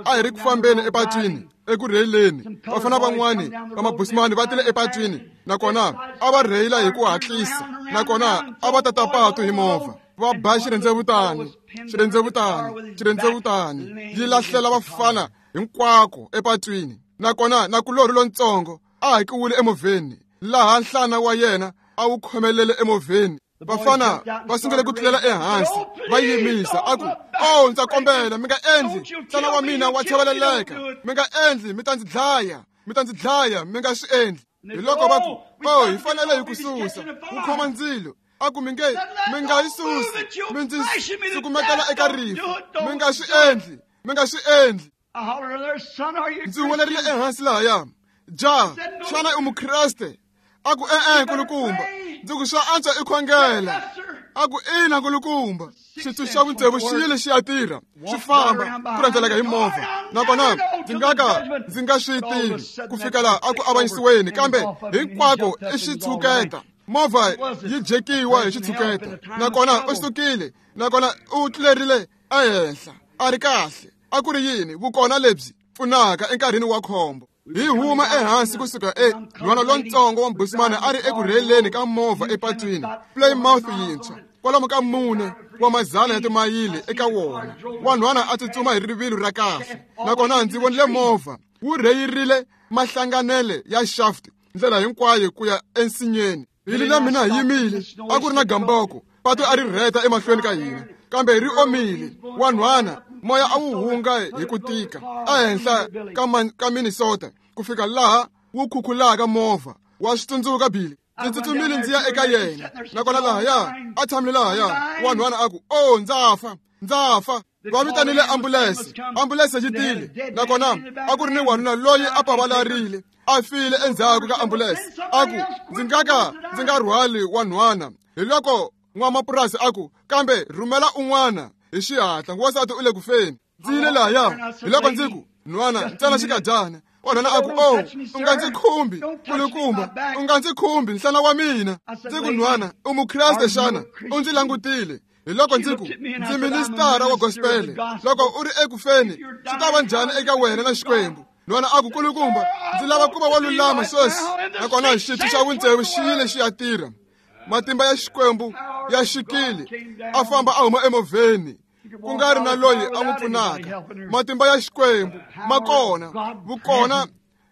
S2: a hi ri ku fambeni epatwini eku rheyileni. Vafana van'wani va mabusimani va tile epatwini, nakona a va rheyila hi ku hatlisa, nakona a va tata patu hi movha. Va ba xirhendzevutani, xirhendzevutani, xirhendzevutani, yi lahlela vafana hinkwako epatwini. Nakona nakulorhi lontsongo a hakiwile emovheni, laha nhlana wa yena a wu khomelele emovheni. Vafana va sungule ku tlulela ehansi, va yimisa. A ku, oh, ndza kombela, mi nga endli, nhlana wa mina wa chaveleleka, mi nga endli, mi ta ndzi dlaya, mi ta ndzi dlaya, mi nga swi endli. Hi loko va ku, oh, hi fanele hi ku susa, wu khoma ndzilo. A ku, mi nge, mi nga yi susi, mi ndzi sukumetela eka rifu, mi nga swi endli, mi nga swi endli. Ndzi huwelerile ehansi lahaya, ja, xana i Mukreste? A ku, e-e, nkulukumba. Ndzi ku, swa antswa i khongela. A ku, ina, nkulukumba. Xitwi xa vutsevu xi yile xi ya tirha, xi famba ku rhendzeleka hi movha, nakona ndzi nga ka ndzi nga swi tivi ku fika laha a ku avanyisiweni, kambe hinkwako i xitshuketa. Movha yi jekiwa hi xitshuketa, nakona u sukile, nakona u tlulerile ehenhla, a ri kahle. A ku ri yini vukona lebyi pfunaka enkarhini wa khombo? Hi huma ehansi kusuka nhwana lontsongo wa mbusimani a ri eku rheyleni ka movha epatwini, Plymouth yintshwa, kwalomu ka 4 wa mazana ya timayili eka wona. Wanhwana a tsutsuma hi rivilo ra kahle, nakona ndzi vonile movha wu rheyirile mahlanganele ya shaft ndlela hinkwayo ku ya ensinyeni. Billy na mina hi yimile, a ku ri na gamboko, patu a ri rheta emahlweni ka hina, kambe ri omile. Wanhwana moya a wu hunga hi ku tika ehenhla ka Minnesota ku fika laha wu khukhulaka movha. Wa swi tsundzuka Billy? Ndzi tsutsumile ndzi ya eka yena, nakona lahaya a tshamile lahaya. Wanhwana a ku, oh, ndza fa. Ndza fa. Va vitanile ambulense. Ambulense yi tile. Nakona a ku ri ni wanuna loyi a pavalarile, a file endzhaku ka ambulense. A ku, ndzi nga ka ndzi nga rhwali wanhwana. Hi loko n'wamapurasi a ku, kambe rhumela un'wana hi xihatla, wansati u le ku feni. Ndzi yile lahaya. Hi loko ndzi ku, nhwana, ntsena xikadyana. Wanhwana a ku, oh, u nga ndzi khumbi, kulukumba, u nga ndzi khumbi, nhlana wa mina. Ndzi ku, nhwana, u Mukreste xana? U ndzi langutile. Hi loko ndzi ku, ndzi ministara wa gospel. Loko u ri eku feni, swi ta va njhani eka wena na Xikwembu? Nhwana a ku, kulukumba, ndzi lava ku va wa lulama sweswi. Nakona xitwi xa vutsevu xi yile xi ya tirha. Matimba ya Xikwembu ya xikile. A famba a huma emovheni, ku nga ri na loyi a n'wi pfunaka. Matimba ya Xikwembu ma kona, vukona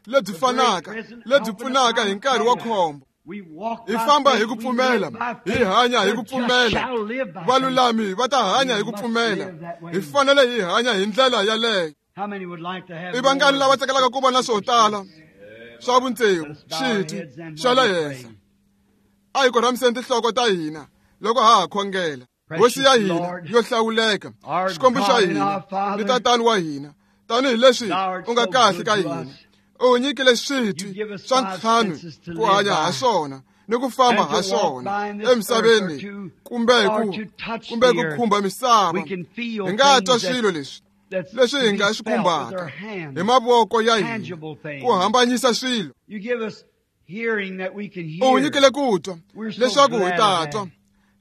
S2: lebyi fanaka lebyi pfunaka hi nkarhi wa khombo. Hi famba hi ku pfumela, hi hanya hi ku pfumela. Valulami va ta hanya hi ku pfumela. Hi fanele hi hanya hi ndlela yaleyo. I vangani lava tsakelaka ku va na swo tala swa vutsevu, xitwi xa le henhla? A hi korhamiseni tinhloko ta hina loko ha ha khongela. Hosi ya hina yo hlawuleka, Xikwembu xa hina ni Tatana wa hina, tanihileswi u nga kahle ka hina, u nyikile switwi swa ntlhanu ku hanya ha swona ni ku famba ha swona emisaveni, kumbe ku khumba misava. Hi nga twa swilo leswi leswi hi nga swi khumbaka hi mavoko ya hina ku hambanyisa swilo. U nyikile ku twa leswaku hi ta twa.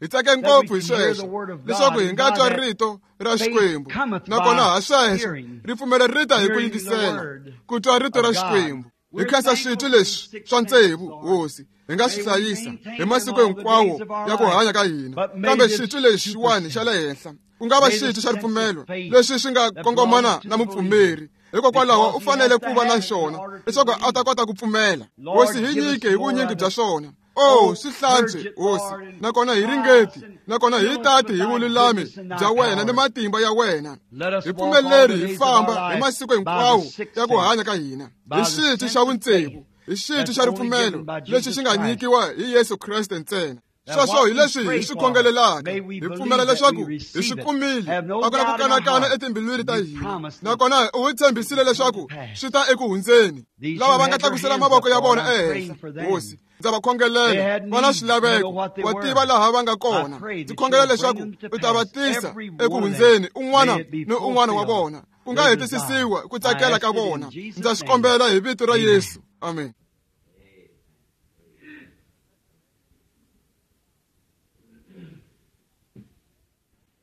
S2: Hi tsake ngopfu hi sweswo leswaku hi nga twa rito ra Xikwembu, nakona ha sweswo ripfumelo ri ta hi ku yingisela, ku twa rito ra Xikwembu. Hi khensa switwi leswi swa tsevu, Hosi, hi nga swi hlayisa hi masiku hinkwawo ya ku hanya ka hina. Kambe xitwi lexiwani xa le henhla, ku nga va xitwi xa ripfumelo leswi swi nga kongomana na mupfumeri, hikokwalaho u fanele ku va na xona leswaku a ta kota ku pfumela. Hosi, hi nyike hi vunyingi bya swona. Oh, swi hlantswe, Hosi, nakona hi ringeti, nakona hi tati hi vululami bya wena ni matimba ya wena. Hi pfumeleri hi famba hi masiku hinkwawo ya ku hanya ka hina hi xitwi xa vutsevu, hi xitwi xa ripfumelo lexi xi nga nyikiwa hi Yesu Kreste ntsena. Sweswo hi leswi hi swi khongelelaka. Hi pfumela leswaku hi swi kumile, a ku na ku kanakana etimbilwini ta hina, nakona u hi tshembisile leswaku swi ta eku hundzeni. Lava va nga tlakusela mavoko ya vona ehenhla, Hosi, ndza va khongelela, va na swilaveko, wa tiva laha va nga kona. Ndzi khongela leswaku u ta va tisa eku hundzeni, un'wana ni un'wana wa vona, ku nga hetisisiwa ku tsakela ka vona. Ndza swi kombela hi vito ra Yesu. Amen.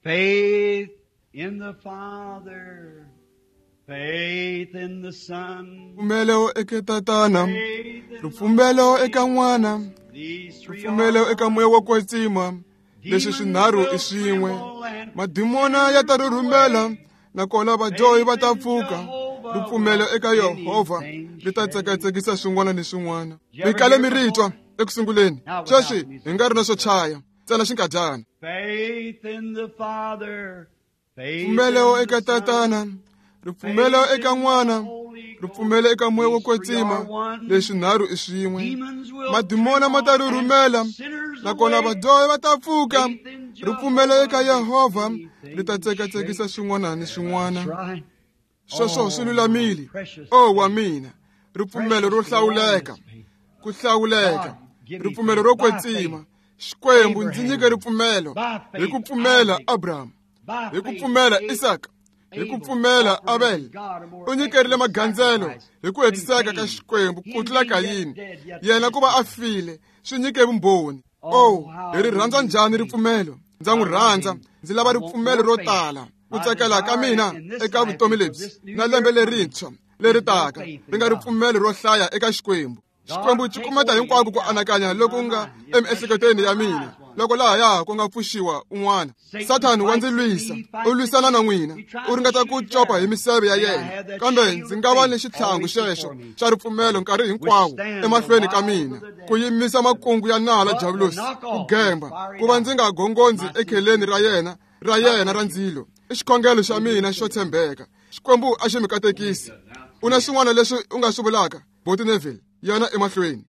S1: Faith in the Father, faith in the Son,
S2: Ripfumelo eka Tatana, ripfumelo eka N'wana, ripfumelo eka Moya wo Kwetsima. Leswi swinharhu i swin'we. Madimona ya ta rhurhumela, nakona vadyohi va ta pfuka. Ripfumelo eka Yehovha ri ta tsekatsekisa swin'wana ni swin'wana. Mi kale mi ri twa eku sunguleni, sweswi hi nga ri na swo chaya, ntsena xinkadyana.
S1: Faith in the Father,
S2: Ripfumelo eka Tatana, ripfumelo eka N'wana, ripfumelo eka Moya wo Kwetsima. Leswi nharhu i swin'we. Madimona ma ta rhurhumela, nakona vadyohi va ta pfuka. Ripfumelo eka Yehovha ri ta tsekatsekisa swin'wana ni swin'wana. Sweswo swi lulamile. Oh, wa mina, ripfumelo ro hlawuleka, ku hlawuleka, ripfumelo ro kwetsima. Xikwembu ndzi nyike ripfumelo. Hi ku pfumela Abraham, hi ku pfumela Isaka, hi ku pfumela Abel, u nyikerile magandzelo hi ku hetiseka ka Xikwembu ku tlula Kayini. Yena ku va a file swi nyike vumbhoni. Oh, hi ri rhandza njhani ripfumelo? Ndza n'wi rhandza. Ndzi lava ripfumelo ro tala. Ku tsakela ka mina eka vutomi lebyi na lembe lerintshwa leri taka ri nga ripfumelo ro hlaya eka Xikwembu. Xikwembu xi kumeta hinkwako ku anakanya loku nga emiehleketweni ya mina, loko lahaya ku nga pfuxiwa un'wana. Sathani wa ndzi lwisa, u lwisana na n'wina, u ringeta ku copa hi miseve ya yena, kambe ndzi nga va ni xitlhangu xexo xa ripfumelo nkarhi hinkwawo emahlweni ka mina, ku yimisa makungu ya nala Diabulosi, ku gemba, ku va ndzi nga gongondzi ekheleni ra yena ra ndzilo. I xikhongelo xa mina xo tshembeka. Xikwembu a xi mi katekisi. U na swin'wana leswi u nga swi vulaka, Boti Neville, yana emahlweni.